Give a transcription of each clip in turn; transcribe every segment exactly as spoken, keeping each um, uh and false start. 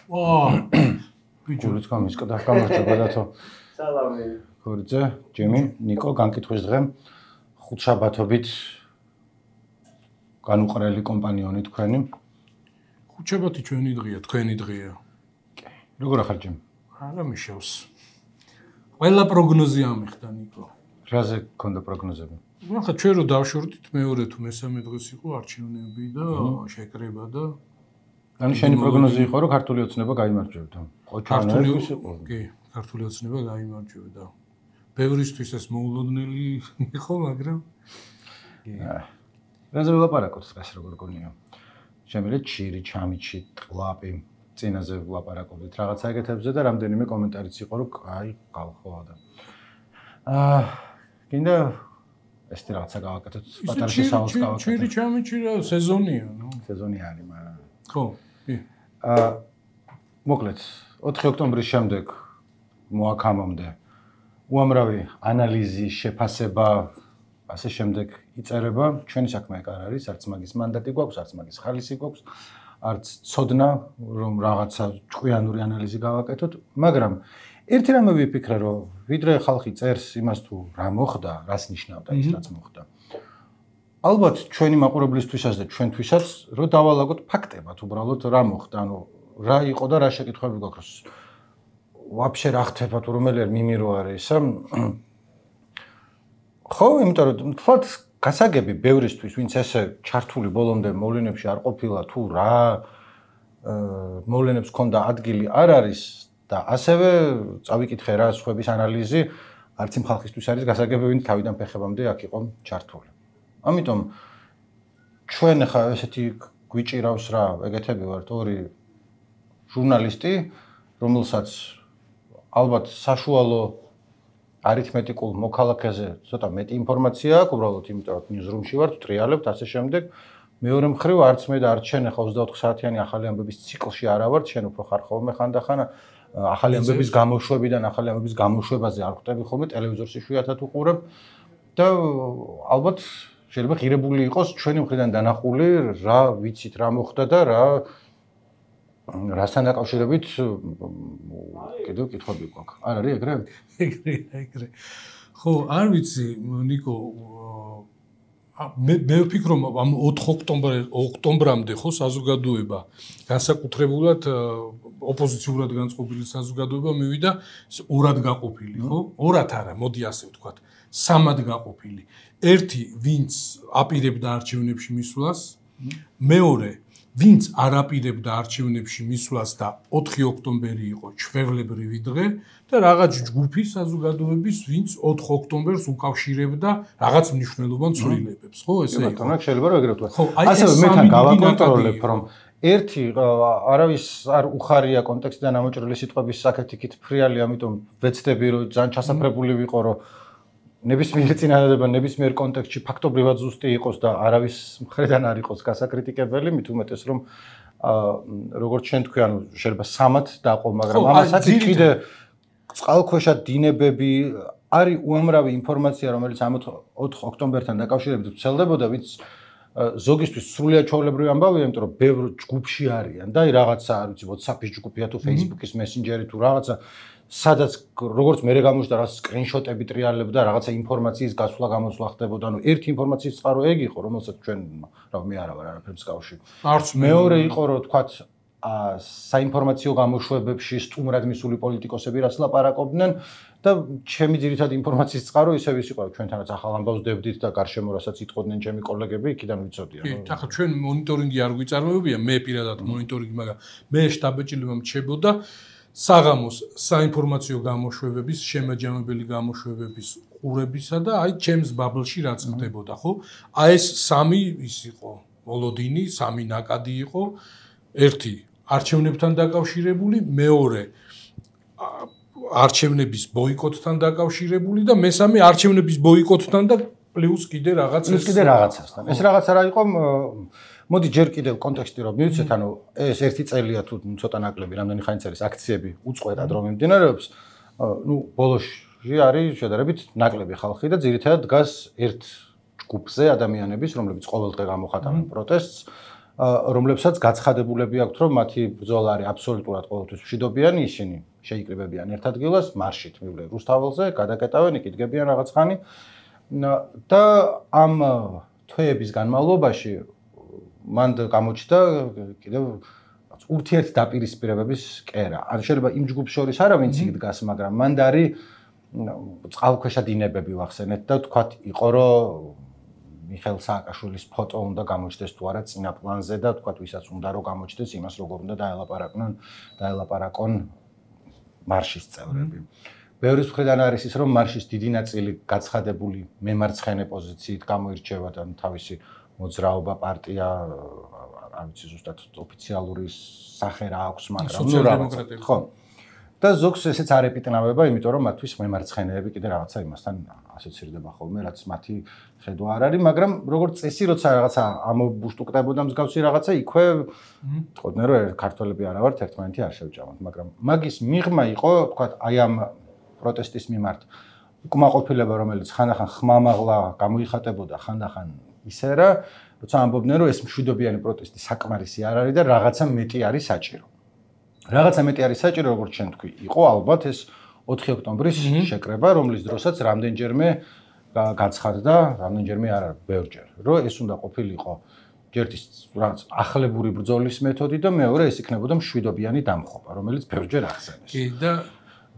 აა ბიჭულიც გამისკდა გამარჯობა დათო. სალამი. გორიძე, ჯემი, ნიკო, განკითხვის დღე ხუთშაბათობით განუყრელი კომპანიონი თქვენი. ხუთშაბათი ჩვენი დღეა, თქვენი დღეა. კი. როგორ ახარ ჯემი? არა მიშავს. ყველა პროგნოზი ამიხდა ნიკო. რაზე გქონდა პროგნოზები? ახლა ჩვენ რო დავშორდით მეორე თუ მესამე დღეს იყო არჩევნები და შეკრება და ანუ შენი პროგნოზი იყო რომ ქართული ოცნება გაიმარჯვებდა. ქართული კი, ქართული ოცნება გაიმარჯვებდა. ბევრისთვის ეს მოულოდნელი იყო, მაგრამ კი. რაზე ვლაპარაკოთ დღეს როგორ გონია? შემიძლია ჩირი, ჩამიჩი, ყლაპი, წინაზე ვლაპარაკობთ რაღაცა ეგეთებზე და რამდენიმე კომენტარიც იყო რომ აი ყალხოა და აა კიდე ეს რაღაცა გავაკეთოთ პატარა შესავალს გავაკეთოთ. ჩირი, ჩამიჩი რა სეზონია, ნუ. სეზონი არის, მაგრამ ხო, კი. აა მოკლედ ოთხი ოქტომბრის შემდეგ მოაქამამდე უამრავი ანალიზი, შეფასება, ასე შემდეგ იწერება. ჩვენი საქმე ეგ არ არის, არც მაგის მანდატი გვაქვს, არც მაგის ხალისი გვაქვს, არც ცოდნა, რომ რაღაცა ჭკვიანური ანალიზი გავაკეთოთ, მაგრამ ერთი რამე ვიფიქრე, რომ ვიდრე ხალხი წერს იმას თუ რა მოხდა, რას ნიშნავდა ის რაც მოხდა. ალბათ ჩვენი მაყურებლისთვისაც და ჩვენთვისაც რომ დავალაგოთ ფაქტებად, უბრალოდ რა მოხდა, ანუ რა იყო და რა შეკითხვები გვაქვს. ვაფშე რა ხდება თუ რომელი არ მიმირო არის ისა. ხო, იმიტომ რომ თქვათ გასაგები ბევრისთვის, ვინც ესე ჩართული ბოლომდე მოვლენებში არ ყოფილა თუ რა მოვლენებს ქონდა ადგილი არ არის და ასევე წავიკითხე რა სხვების ანალიზი, არც იმ ხალხისთვის არის გასაგები, ვინც თავიდან ფეხებამდე აქ იყო ჩართული. ამიტომ ჩვენ ახლა ესეთი გვიჭირავს რა, ეგეთები ვართ ორი ჟურნალისტი, რომელსაც ალბათ საშუალო არითმეტიკულ მოქალაქეზე ცოტა მეტი ინფორმაცია აქვს, უბრალოდ იმიტომ რომ ნიუზრუმში ვართ, ტრიალებთ ასე შემდეგ. მეორე მხრივ არც მე და არც შენ ახლა ოცდაოთხ საათიანი ახალი ამბების ციკლში არა ვართ, შენ უფრო ხარ ხოლმე ხანდახან ახალი ამბების გამოშვებიდან ახალი ამბების გამოშვებაზე არ ხვდები ხოლმე ტელევიზორს იშვიათად უყურებ და ალბათ შეიძლება ღირებული იყოს ჩვენი მხრიდან დანახული რა ვიცით რა მოხდა და რა რასთან დაკავშირებით კიდევ კითხვები გვაქვს. არ არის ეგრე? ეგრე, ეგრე. ხო, არ ვიცი, ნიკო, მე მე ვფიქრობ ამ ოთხ ოქტომბრამდე ხო საზოგადოება განსაკუთრებულად ოპოზიციურად განწყობილი საზოგადოება მივიდა ორად გაყოფილი, ხო? ორად არა, მოდი ასე ვთქვათ, სამად გაყოფილი. ერთი, ვინც აპირებდა არჩევნებში მისვლას, მეორე ვინც არ აპირებდა არჩევნებში მისვლას და ოთხი ოქტომბერი იყო ჩვევლებრივი დღე და რაღაც ჯგუფი საზოგადოების, ვინც ოთხ ოქტომბერს უკავშირებდა რაღაც მნიშვნელოვან ცვლილებებს, ხო, ესე იყო. ბატონო, შეიძლება რომ ეგრე ვთქვა. ასევე მე თან გავაკონტროლებ, რომ ერთი არავის არ უხარია კონტექსტიდან ამოჭრილი სიტყვების საკეთიქით ფრიალი, ამიტომ ვეცდები რომ ძალიან ჩასაფრებული ვიყო, რომ ნებისმიერ წინადადება ნებისმიერ კონტექსტში ფაქტობრივად ზუსტი იყოს და არავის მხრიდან არ იყოს გასაკრიტიკებელი, მით უმეტეს რომ როგორც შენ თქვი, ანუ შეიძლება სამად დაყო, მაგრამ ამასაც კიდე წყალქვეშა დინებები არის უამრავი ინფორმაცია, რომელიც ამ ოთხ ოქტომბერთან დაკავშირებით ვრცელდებოდა, ვინც ზოგისთვის სრულიად ჩვეულებრივი ამბავია, იმიტომ რომ ბევრ ჯგუფში არიან და რაღაცა, არ ვიცი, WhatsApp-ის ჯგუფია თუ Facebook-ის Messenger-ი თუ რაღაცა სადაც როგორც მე გამოჩნდა რა სკრინშოტები ტრიალებდა რაღაცა ინფორმაციის გასვლა გამოსვლა ხდებოდა. ანუ ერთი ინფორმაციის წყარო ეგ იყო, რომელსაც ჩვენ რა მე არა ვარ არაფერ მსგავსი. არც მეორე იყო რომ თქვათ საინფორმაციო გამოშვებებში სტუმრად მისული პოლიტიკოსები რას ლაპარაკობდნენ და ჩემი ძირითადი ინფორმაციის წყარო ისევ ის იყო, ჩვენთანაც ახალ ამბავს დებდით და გარშემო რასაც იტყოდნენ ჩემი კოლეგები, იქიდან ვიცოდია. კი, ახლა ჩვენ მონიტორინგი არ გვიწარმოებია, მე პირადად მონიტორინგი, მაგრამ მე შტაბ-ბეჭდილება მრჩებოდა საღამოს საინფორმაციო გამოშვებების, შემაჯამებელი გამოშვებების ყურებისა და აი ჩემს ბაბლში რაც ხდებოდა, ხო? აი ეს სამი ის იყო, მოლოდინი, სამი ნაკადი იყო. ერთი არჩევნებთან დაკავშირებული, მეორე არჩევნების ბოიკოტთან დაკავშირებული და მესამე არჩევნების ბოიკოტთან და პლუს კიდე რაღაც ეს კიდე რაღაცასთან. ეს რაღაცა რა იყო მოდი ჯერ კიდევ კონტექსტი რომ მივიცეთ, ანუ ეს ერთი წელია თუ ცოტა ნაკლები, რამდენი ხანიც არის აქციები უწყვეტად რომ მიმდინარეობს, ნუ ბოლოში არის შედარებით ნაკლები ხალხი და ძირითადად დგას ერთ ჯგუფზე ადამიანების, რომლებიც ყოველდღე გამოხატავენ პროტესტს, რომლებსაც გაცხადებულები აქვთ, რომ მათი ბრძოლა არის აბსოლუტურად ყოველთვის მშვიდობიანი, ისინი შეიკრიბებიან ერთ ადგილას, მარშით მივლენ რუსთაველზე, გადაკეტავენ, იკიდგებიან რაღაც ხანი და ამ თვეების განმავლობაში მან გამოჩნდა კიდევ ურთიერთ დაპირისპირებების კერა. ან შეიძლება იმ ჯგუფს შორის არა ვინც იქ დგას, მაგრამ მან დარი წყალქვეშა დინებები ვახსენეთ და თქვათ იყო რომ მიხეილ სააკაშვილის ფოტო უნდა გამოჩნდეს თუ არა წინა პლანზე და თქვათ ვისაც უნდა რომ გამოჩნდეს იმას როგორ უნდა დაელაპარაკონ დაელაპარაკონ მარშის წევრები. ბევრის მხრიდან არის ის რომ მარშის დიდი ნაწილი გაცხადებული მემარცხენე პოზიციით გამოირჩევა და თავისი მოძრაობა პარტია არ ვიცი ზუსტად ოფიციალური სახე რა აქვს, მაგრამ ნუ რაღაცა ხო. და ზოგს ესეც არ ეპიტნავება, იმიტომ რომ მათთვის მემარცხენეები კიდე რაღაცა იმასთან ასოცირდება ხოლმე, რაც მათი ხედვა არ არის, მაგრამ როგორც წესი, როცა რაღაცა ამობუშტუკდებოდა მსგავსი რაღაცა, იქვე თქოდნენ რომ ქართველები არა ვართ, ერთმანეთი არ შევჭამოთ, მაგრამ მაგის მიღმა იყო, თქვათ, აი ამ პროტესტის მიმართ უკმაყოფილება, რომელიც ხანდახან ხმამაღლა გამოიხატებოდა, ხანდახან ისე რა, როცა ამბობდნენ რომ ეს მშვიდობიანი პროტესტი საკმარისი არ არის და რაღაცა მეტი არის საჭირო. რაღაცა მეტი არის საჭირო, როგორც შენ თქვი, იყო ალბათ ეს ოთხი ოქტომბრის შეკრება, რომლის დროსაც რამდენჯერმე გაცხადდა, რამდენჯერმე არა, ბევრჯერ, რომ ეს უნდა ყოფილიყო ჯერ ის რაღაც ახლებური ბრძოლის მეთოდი და მეორე ეს იქნებოდა მშვიდობიანი დამხობა, რომელიც ბევრჯერ ახსენეს. კი და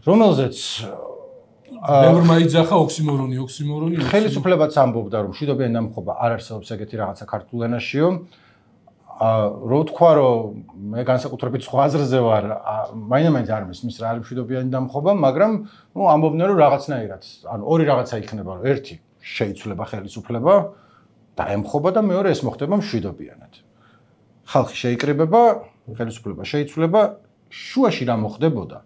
რომელზეც ბევრმა იძახა ოქსიმორონი, ოქსიმორონი. ხელისუფლებაც ამბობდა, რომ მშვიდობიანი დამხობა არ არსებობს ეგეთი რაღაცა ქართულ ენაშიო. რო თქვა რომ მე განსაკუთრებით სხვა აზრზე ვარ, მაინც არ მისმის რა არის მშვიდობიანი დამხობა, მაგრამ ნუ ამბობდნენ რომ რაღაცნაირად, ანუ ორი რაღაცა იქნება, რომ ერთი შეიცვლება ხელისუფლება და ემხობა და მეორე ეს მოხდება მშვიდობიანად. ხალხი შეიკრიბება, ხელისუფლება შეიცვლება, შუაში რა მოხდებოდა?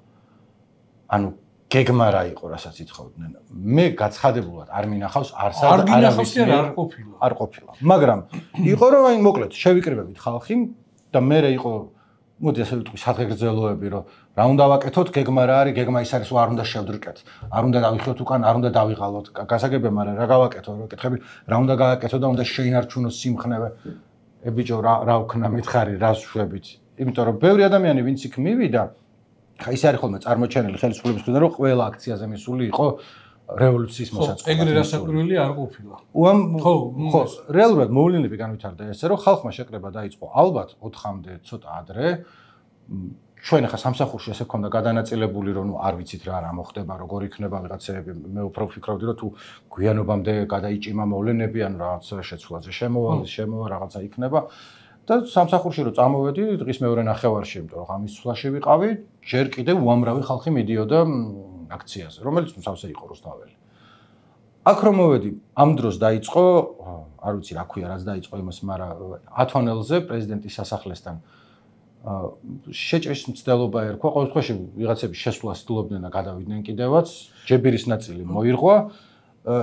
ანუ გეგმა რა იყო, რასაც ითხოვდნენ. მე გაცხადებულად არ მინახავს არსად არ გინახავს და არ ყოფილა. არ ყოფილა. მაგრამ იყო რომ აი მოკლედ შევიკრიბებით ხალხი და მე იყო მოდი ასე ვიტყვი სადღეგრძელოები რომ რა უნდა ვაკეთოთ, გეგმა რა არის, გეგმა ის არის რომ არ უნდა შევდრიკეთ, არ უნდა დავიხიოთ უკან, არ უნდა დავიღალოთ. გასაგებია, მაგრამ რა გავაკეთო, რა კითხები, რა უნდა გააკეთო და უნდა შეინარჩუნოს სიმხნევე. ე ბიჭო რა რა ვქნა მითხარი, რას შვებით. იმიტომ რომ ბევრი ადამიანი ვინც იქ მივიდა ხა ის არის ხოლმე წარმოჩენილი ხელისუფლების მხრიდან რომ ყველა აქციაზე მისული იყო რევოლუციის მოსაწყობად. ეგრე რასაკვირველი არ ყოფილა. უამ ხო, ხო, რეალურად მოვლენები განვითარდა ესე რომ ხალხმა შეკრება დაიწყო ალბათ ოთხამდე ცოტა ადრე. ჩვენ ახლა სამსახურში ესე ქონდა გადანაწილებული რომ არ ვიცით რა რა მოხდება, როგორ იქნება ვიღაცები. მე უფრო ვფიქრობდი რომ თუ გვიანობამდე გადაიჭიმა მოვლენები ან რაღაც შეცვლაზე შემოვალ, შემოვა რაღაცა იქნება. და სამსახურში რო წამოვედი დღის მეორე ნახევარში, იმიტომ რომ ღამის ცვლაში ვიყავი, ჯერ კიდევ უამრავი ხალხი მიდიოდა აქციაზე, რომელიც მსავსე იყო რუსთაველი. აქ რომ მოვედი, ამ დროს დაიწყო, არ ვიცი რა ქვია, რაც დაიწყო იმას, მაგრამ ათონელზე პრეზიდენტის სასახლესთან შეჭრის მცდელობა ერქვა, ყოველ შემთხვევაში ვიღაცები შესვლას ცდილობდნენ და გადავიდნენ კიდევაც, ჯებირის ნაწილი მოირღვა,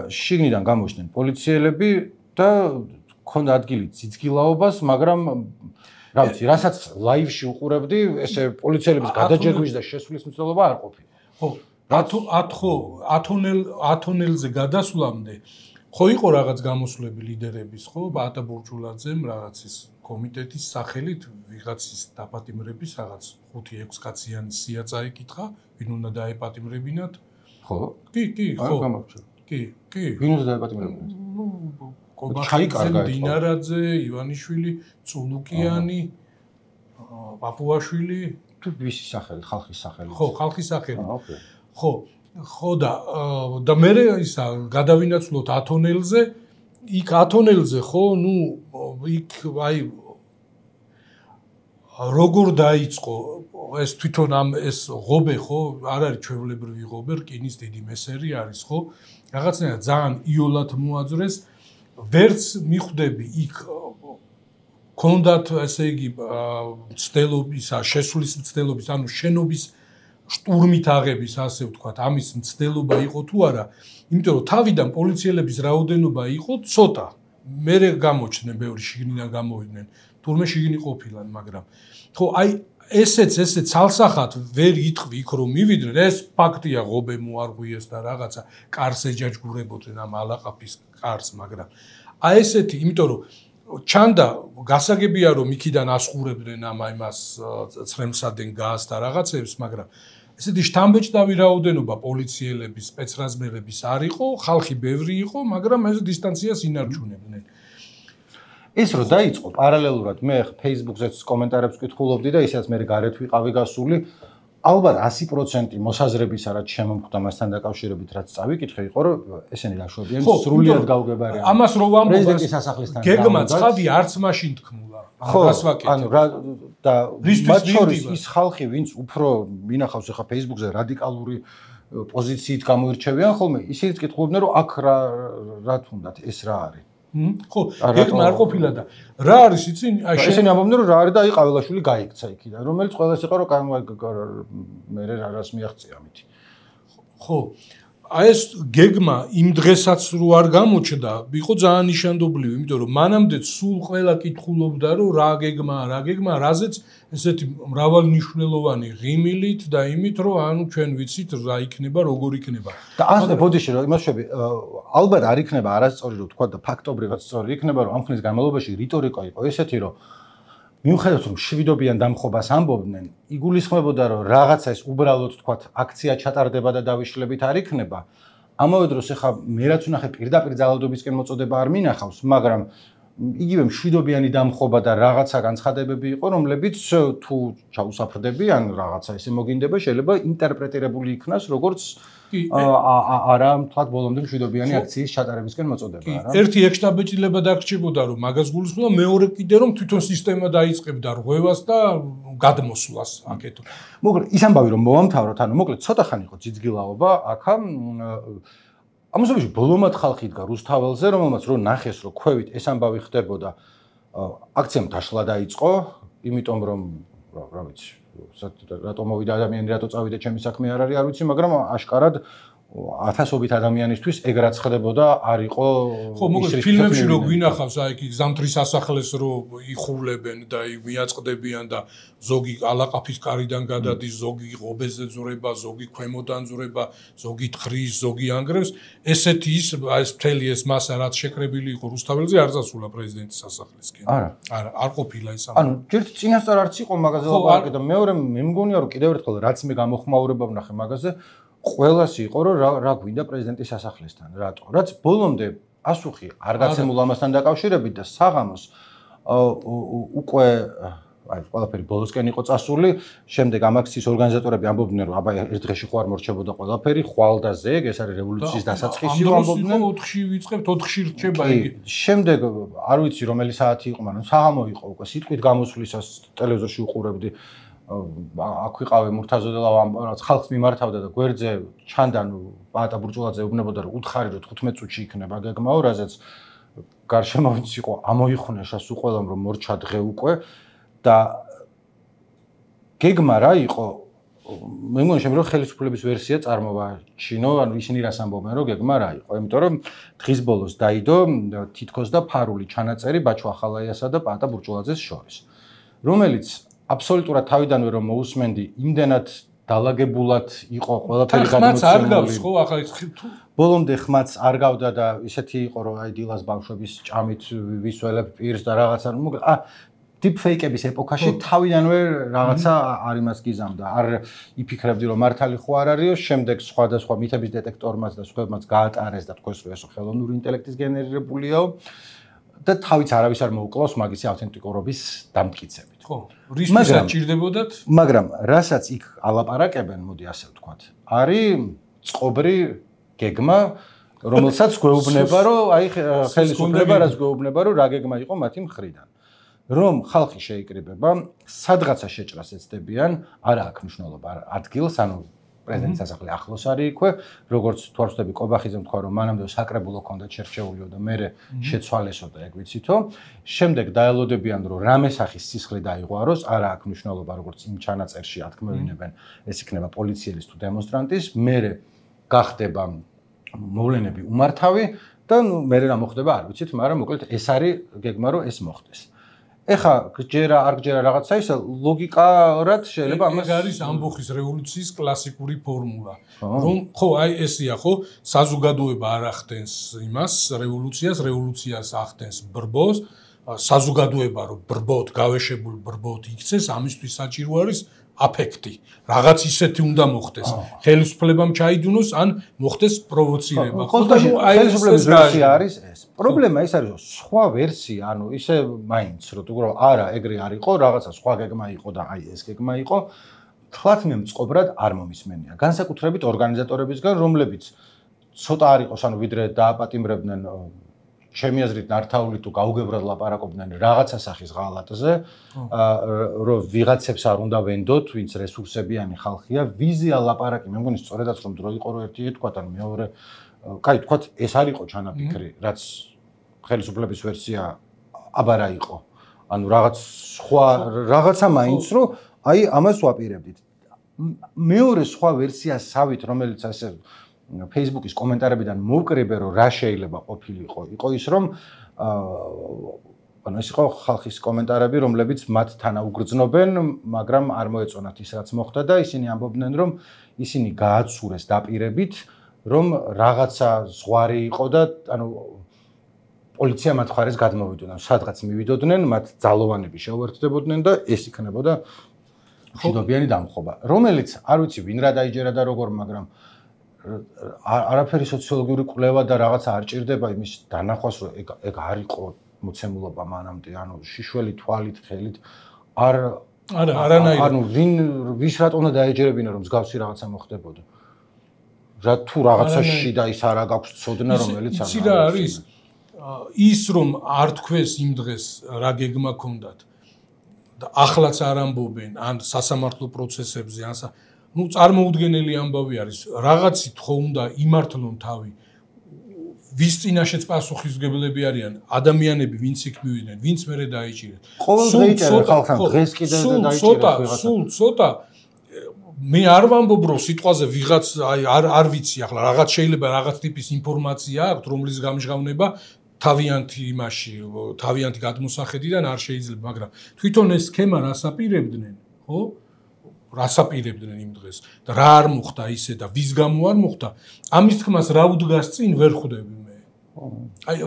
შიგნიდან გამოჩნდნენ პოლიციელები და ქონდა ადგილი ძიძგილაობას, მაგრამ რა ვიცი, რასაც ლაივში უყურებდი, ესე პოლიციელების გადაჯერგვის და შესვლის მცდელობა არ ყოფილა. ხო, ათო ათონელ ათონელზე გადასვლამდე ხო იყო რაღაც გამოსვლები ლიდერების, ხო, ბატა ბურჯულაძემ რაღაცის კომიტეტის სახელით ვიღაცის დაპატიმრების რაღაც ხუთი ექვს კაციანი სია წაიკითხა, ვინ უნდა დაეპატიმრებინათ? ხო? კი, კი, ხო. კი, კი. ვინ უნდა დაეპატიმრებინათ? კობახიძე, დინარაძე, ივანიშვილი, წულუკიანი, პაპუაშვილი, თუ ვისი სახელი, ხალხის სახელი. ხო, ხალხის სახელი. ხო, ხო და და მე ისა გადავინაცვლოთ ათონელზე, იქ ათონელზე ხო, ნუ იქ აი როგორ დაიწყო ეს თვითონ ამ ეს ღობე ხო, არ არის ჩვეულებრივი ღობე, რკინის დიდი მესერი არის ხო? რაღაცნაირად ძალიან იოლად მოაძრეს ვერც მიხვდები იქ კონდათ ესე იგი მცდელობის, შესulis მცდელობის, ანუ შენობის შტურმით აღების, ასე ვთქვათ, ამის მცდელობა იყო თუ არა, იმიტომ რომ თავიდან პოლიციელების რაოდენობა იყო ცოტა. მერე გამოჩნდნენ, ბევრი შიგნიდან გამოვიდნენ, თურმე შიგნი ყოფილან, მაგრამ ხო, აი ესეც ესე ცალსახად ვერ იტყვი იქ რომ მივიდნენ, ეს ფაქტია, ღობე მოარღვიეს და რაღაცა კარს ეჯაჯგურებოდნენ ამ ალაყაფის კარს, მაგრამ აი ესეთი, იმიტომ რომ ჩანდა გასაგებია რომ იქიდან ასხურებდნენ ამ იმას ცრემსადენ გაზს და რაღაცებს, მაგრამ ესეთი შთამბეჭდავი რაოდენობა პოლიციელების, სპეცრაზმელების არ იყო, ხალხი ბევრი იყო, მაგრამ ეს დისტანციას ინარჩუნებდნენ. ეს რო დაიწყო პარალელურად მე Facebook-ზეც კომენტარებს ვკითხულობდი და ისედაც მე გარეთ ვიყავი გასული, ალბათ ასი პროცენტი მოსაზრებისა რაც შემომხვდა მასთან დაკავშირებით რაც წავიკითხე იყო რომ ესენი დაშვებიან სრულიად გაუგებარია. ამას რო ვამბობ პრეზიდენტის სასახლესთან გეგმა ცხადი არც მაშინ თქმულა. რას ვაკეთებ? ანუ რა და მათ შორის ის ხალხი ვინც უფრო მინახავს ახლა Facebook-ზე რადიკალური პოზიციით გამოირჩევიან ხოლმე ისიც კითხულობდნენ რომ აქ რა რა თუნდათ ეს რა არის? ხო, გეგმა არ ყოფილა და რა არის იცი? აი ესენი ამბობდნენ რომ რა არის და აი ყაველაშვილი გაიქცა იქიდან, რომელიც ყველას იყო რომ მე რას მიაღწია ამით. ხო, აი ეს გეგმა იმ დღესაც რო არ გამოჩნდა, იყო ძალიან ნიშანდობლივი, იმიტომ რომ მანამდე სულ ყველა კითხულობდა რომ რა გეგმა, რა გეგმა, რაზეც ესეთი მრავალნიშნულოვანი ღიმილით და იმით რომ ანუ ჩვენ ვიცით რა იქნება, როგორ იქნება. და ასე ბოდიში რომ იმას შვები, ალბათ არ იქნება არასწორი რომ თქვა და ფაქტობრივად სწორი იქნება რომ ამ ხნის განმავლობაში რიტორიკა იყო ესეთი რომ მიუხედავად რომ შვიდობიან დამხობას ამბობდნენ, იგულისხმებოდა რომ რაღაცა ეს უბრალოდ თქვა აქცია ჩატარდება და დავიშლებით არ იქნება. ამავე დროს ახლა მე რაც ვნახე პირდაპირ ძალადობისკენ მოწოდება არ მინახავს, მაგრამ იგივე მშვიდობიანი დამხობა და რაღაცა განცხადებები იყო, რომლებიც თუ ჩაუსაფრდებიან რაღაცა ესე მოგინდება, შეიძლება ინტერპრეტირებული იქნას, როგორც არა თქვა ბოლომდე მშვიდობიანი აქციის ჩატარებისკენ მოწოდება, რა. ერთი ექსტაბეჭდილება დაგრჩებოდა, რომ მაგას გულისხმობდა, მეორე კიდე რომ თვითონ სისტემა დაიწყებდა რღვევას და გადმოსვლას აქეთო. მოკლედ ის ამბავი რომ მოვამთავროთ, ანუ მოკლედ ცოტა ხანი იყო ძიძგილაობა, აქა ამასობაში ბოლომად ხალხი იდგა რუსთაველზე, რომელმაც რო ნახეს, რომ ქვევით ეს ამბავი ხდებოდა, აქციამ დაშლა დაიწყო, იმიტომ რომ რა ვიცი, რატო მოვიდა ადამიანი, რატო წავიდა ჩემი საქმე არ არის, არ ვიცი, მაგრამ აშკარად ათასობით ადამიანისთვის ეგ რაც ხდებოდა არ იყო. ხო, მოკლედ ფილმებში რო გვინახავს, აი იქ ზამთრის სასახლეს რო იხულებენ და მიაწყდებიან და ზოგი ალაყაფის კარიდან გადადის, ზოგი ღობეზე ძურება, ზოგი ქვემოდან ძურება, ზოგი თხრის, ზოგი ანგრევს, ესეთი ის ეს მთელი ეს მასა რაც შეკრებილი იყო რუსთაველზე არ წასულა პრეზიდენტის სასახლესკენ. არა, არა, არ ყოფილა ეს ამ. ანუ ჯერ წინასწარ არც იყო მაგაზე ლაპარაკი და მეორე მე მგონია რომ კიდევ ერთხელ რაც მე გამოხმაურება ვნახე მაგაზე ყველას იყო რომ რა რა გვინდა პრეზიდენტის სასახლესთან, რატო? რაც ბოლომდე ასუხი არ გაცემულ ამასთან დაკავშირებით და საღამოს უკვე აი ყველაფერი ბოლოსკენ იყო წასული, შემდეგ ამ აქციის ორგანიზატორები ამბობდნენ რომ აბა ერთ დღეში ხო არ მორჩებოდა ყველაფერი, ხვალ და ზეგ, ეს არის რევოლუციის დასაწყისი ამბობდნენ. ოთხში ვიწყებთ, ოთხში რჩება იგი. შემდეგ არ ვიცი რომელი საათი იყო, მაგრამ საღამო იყო უკვე სიტყვით გამოსვლისას ტელევიზორში უყურებდი. აქ ვიყავე მურთაზოდელავ რაც ხალხს მიმართავდა და გვერდზე ჩანდა პაატა ბურჭულაძე უბნებოდა რომ უთხარი რომ თხუთმეტ წუთში იქნება გეგმაო, რაზეც გარშემოვიც იყო ამოიხუნეშა სულ ყველამ რომ მორჩა დღე უკვე და გეგმა რა იყო მე მგონი შემიძლია რომ ხელისუფლების ვერსია წარმოვაჩინო, ანუ ისინი რას ამბობენ რომ გეგმა რა იყო, იმიტომ რომ დღის ბოლოს დაიდო თითქოს და ფარული ჩანაწერი ბაჩო ახალაიასა და პაატა ბურჭულაძეს შორის, რომელიც აბსოლუტურად თავიდანვე რომ მოусმენდი, იმდენად დალაგებულად იყო ყველაფერი გადმოცემული. ხმაც არ გავს ხო ახლა ის თუ ბოლომდე ხმაც არ გავდა და ისეთი იყო რომ აი დილას ბავშვების ჭამით ვისველებ პირს და რაღაცა მოკლედ ა დიპფეიკების ეპოქაში თავიდანვე რაღაცა არ იმას გიზამდა. არ იფიქრებდი რომ მართალი ხო არ არისო, შემდეგ სხვადასხვა მითების დეტექტორმაც და სხვებმაც გაატარეს და თქვეს რომ ეს ხელოვნური ინტელექტის გენერირებულიაო და თავიც არავის არ მოუკლავს მაგისი ავთენტიკურობის დამტკიცებით. ხო, რისთვისაც ჭირდებოდათ? მაგრამ რასაც იქ ალაპარაკებენ, მოდი ასე ვთქვათ, არის წყობრი გეგმა, რომელსაც გვეუბნება, რომ აი ხელისუფლება რაც გვეუბნება, რომ რა გეგმა იყო მათი მხრიდან. რომ ხალხი შეიკრიბება, სადღაცა შეჭრას ეცდებიან, არა აქვს მნიშვნელობა ადგილს, ანუ პრეზიდენტის სასახლე ახლოს არის იქვე, როგორც თუ არ ვცდები კობახიძემ თქვა, რომ მანამდე საკრებულო ქონდა შერჩეულიო და მე შეცვალესო და ეგ ვიცითო. შემდეგ დაელოდებიან, რომ რამე სახის სისხლი დაიღვაროს, არა აქვს მნიშვნელობა, როგორც იმ ჩანაწერში ათქმევინებენ, ეს იქნება პოლიციელის თუ დემონსტრანტის, მე გახდება მოვლენები უმართავი და ნუ მე რა მოხდება არ ვიცით, მაგრამ მოკლედ ეს არის გეგმა, რომ ეს მოხდეს. ეხა ჯერა არ ჯერა რაღაცა ისა ლოგიკურად შეიძლება ამას ეს არის ამბოხის რევოლუციის კლასიკური ფორმულა. რომ ხო აი ესია ხო საზოგადოება არ ახდენს იმას რევოლუციას, რევოლუციას ახდენს ბრბოს, საზოგადოება რომ ბრბოთ, გავეშებულ ბრბოთ იქცეს, ამისთვის საჭირო არის აფექტი. რაღაც ისეთი უნდა მოხდეს. ხელისუფლებამ ჩაიდუნოს ან მოხდეს პროვოცირება. ხო, ხელისუფლების ვერსია არის ეს. პრობლემა ის არის, რომ სხვა ვერსია, ანუ ისე მაინც რომ თუ რომ არა, ეგრე არ იყო, რაღაცა სხვა გეგმა იყო და აი ეს გეგმა იყო, თლათ მე მწყობრად არ მომისმენია. განსაკუთრებით ორგანიზატორებისგან, რომლებიც ცოტა არ იყოს, ანუ ვიდრე დააპატიმრებდნენ ჩემი აზრით ნართაული თუ გაუგებრად ლაპარაკობდნენ რაღაცა სახის ღალატზე, რომ ვიღაცებს არ უნდა ვენდოთ, ვინც რესურსებიანი ხალხია, ვიზია ლაპარაკი, მე მგონი სწორედაც რომ დრო იყო რომ ერთი ეთქვა, ან მეორე, კაი, თქვა ეს არ იყო ჩანაფიქრი, რაც ხელისუფლების ვერსია აბარა იყო. ანუ რაღაც სხვა რაღაცა მაინც რომ აი ამას ვაპირებდით. მეორე სხვა ვერსიასავით, რომელიც ასე Facebook-ის კომენტარებიდან მოვკრიბე რომ რა შეიძლება ყოფილიყო, იყო ის რომ ანუ ეს იყო ხალხის კომენტარები, რომლებიც მათ თანაუგრძნობენ, მაგრამ არ მოეწონათ ის რაც მოხდა და ისინი ამბობდნენ რომ ისინი გააცურეს დაპირებით, რომ რაღაცა ზღვარი იყო და ანუ პოლიცია მათ ხარეს გადმოვიდოდნენ, სადღაც მივიდოდნენ, მათ ძალოვანები შეუერთდებოდნენ და ეს იქნებოდა მშვიდობიანი დამხობა, რომელიც არ ვიცი ვინ რა დაიჯერა და როგორ, მაგრამ არაფერი სოციოლოგიური კვლევა და რაღაცა არ ჭირდება იმის დანახვას, რომ ეგ ეგ არ იყო მოცემულობა მანამდე, ანუ შიშველი თვალით, ხელით არ არა, არანაირად. ანუ ვინ ვის რატომ უნდა დაეჯერებინა რომ მსგავსი რაღაცა მოხდებოდა. რა თუ რაღაცაში და ის არა გაქვს ცოდნა, რომელიც არ არის. რა არის? ის რომ არ თქვეს იმ დღეს რა გეგმა ქონდათ და ახლაც არ ამბობენ ან სასამართლო პროცესებზე ან ну წარმოუდგენელი ამბავი არის რაღაცით ხო უნდა იმართლონ თავი ვის წინაშეც პასუხისმგებლები არიან ადამიანები ვინც იქ მივიდნენ ვინც მერე დაიჭირეს ყოველდღე იჭერენ ხალხთან დღეს კიდე დაიჭირეს ვიღაცა სულ ცოტა მე არ ვამბობ რომ სიტყვაზე ვიღაც აი არ არ ვიცი ახლა რაღაც შეიძლება რაღაც ტიპის ინფორმაცია აქვს რომლის გამჟღავნება თავიანთი იმაში თავიანთი გადმოსახედიდან არ შეიძლება მაგრამ თვითონ ეს სქემა რას აპირებდნენ ხო რას აპირებდნენ იმ დღეს და რა არ მოხდა ისე და ვის გამო არ მოხდა ამის თქმას რა უდგას წინ ვერ ხვდები მე აი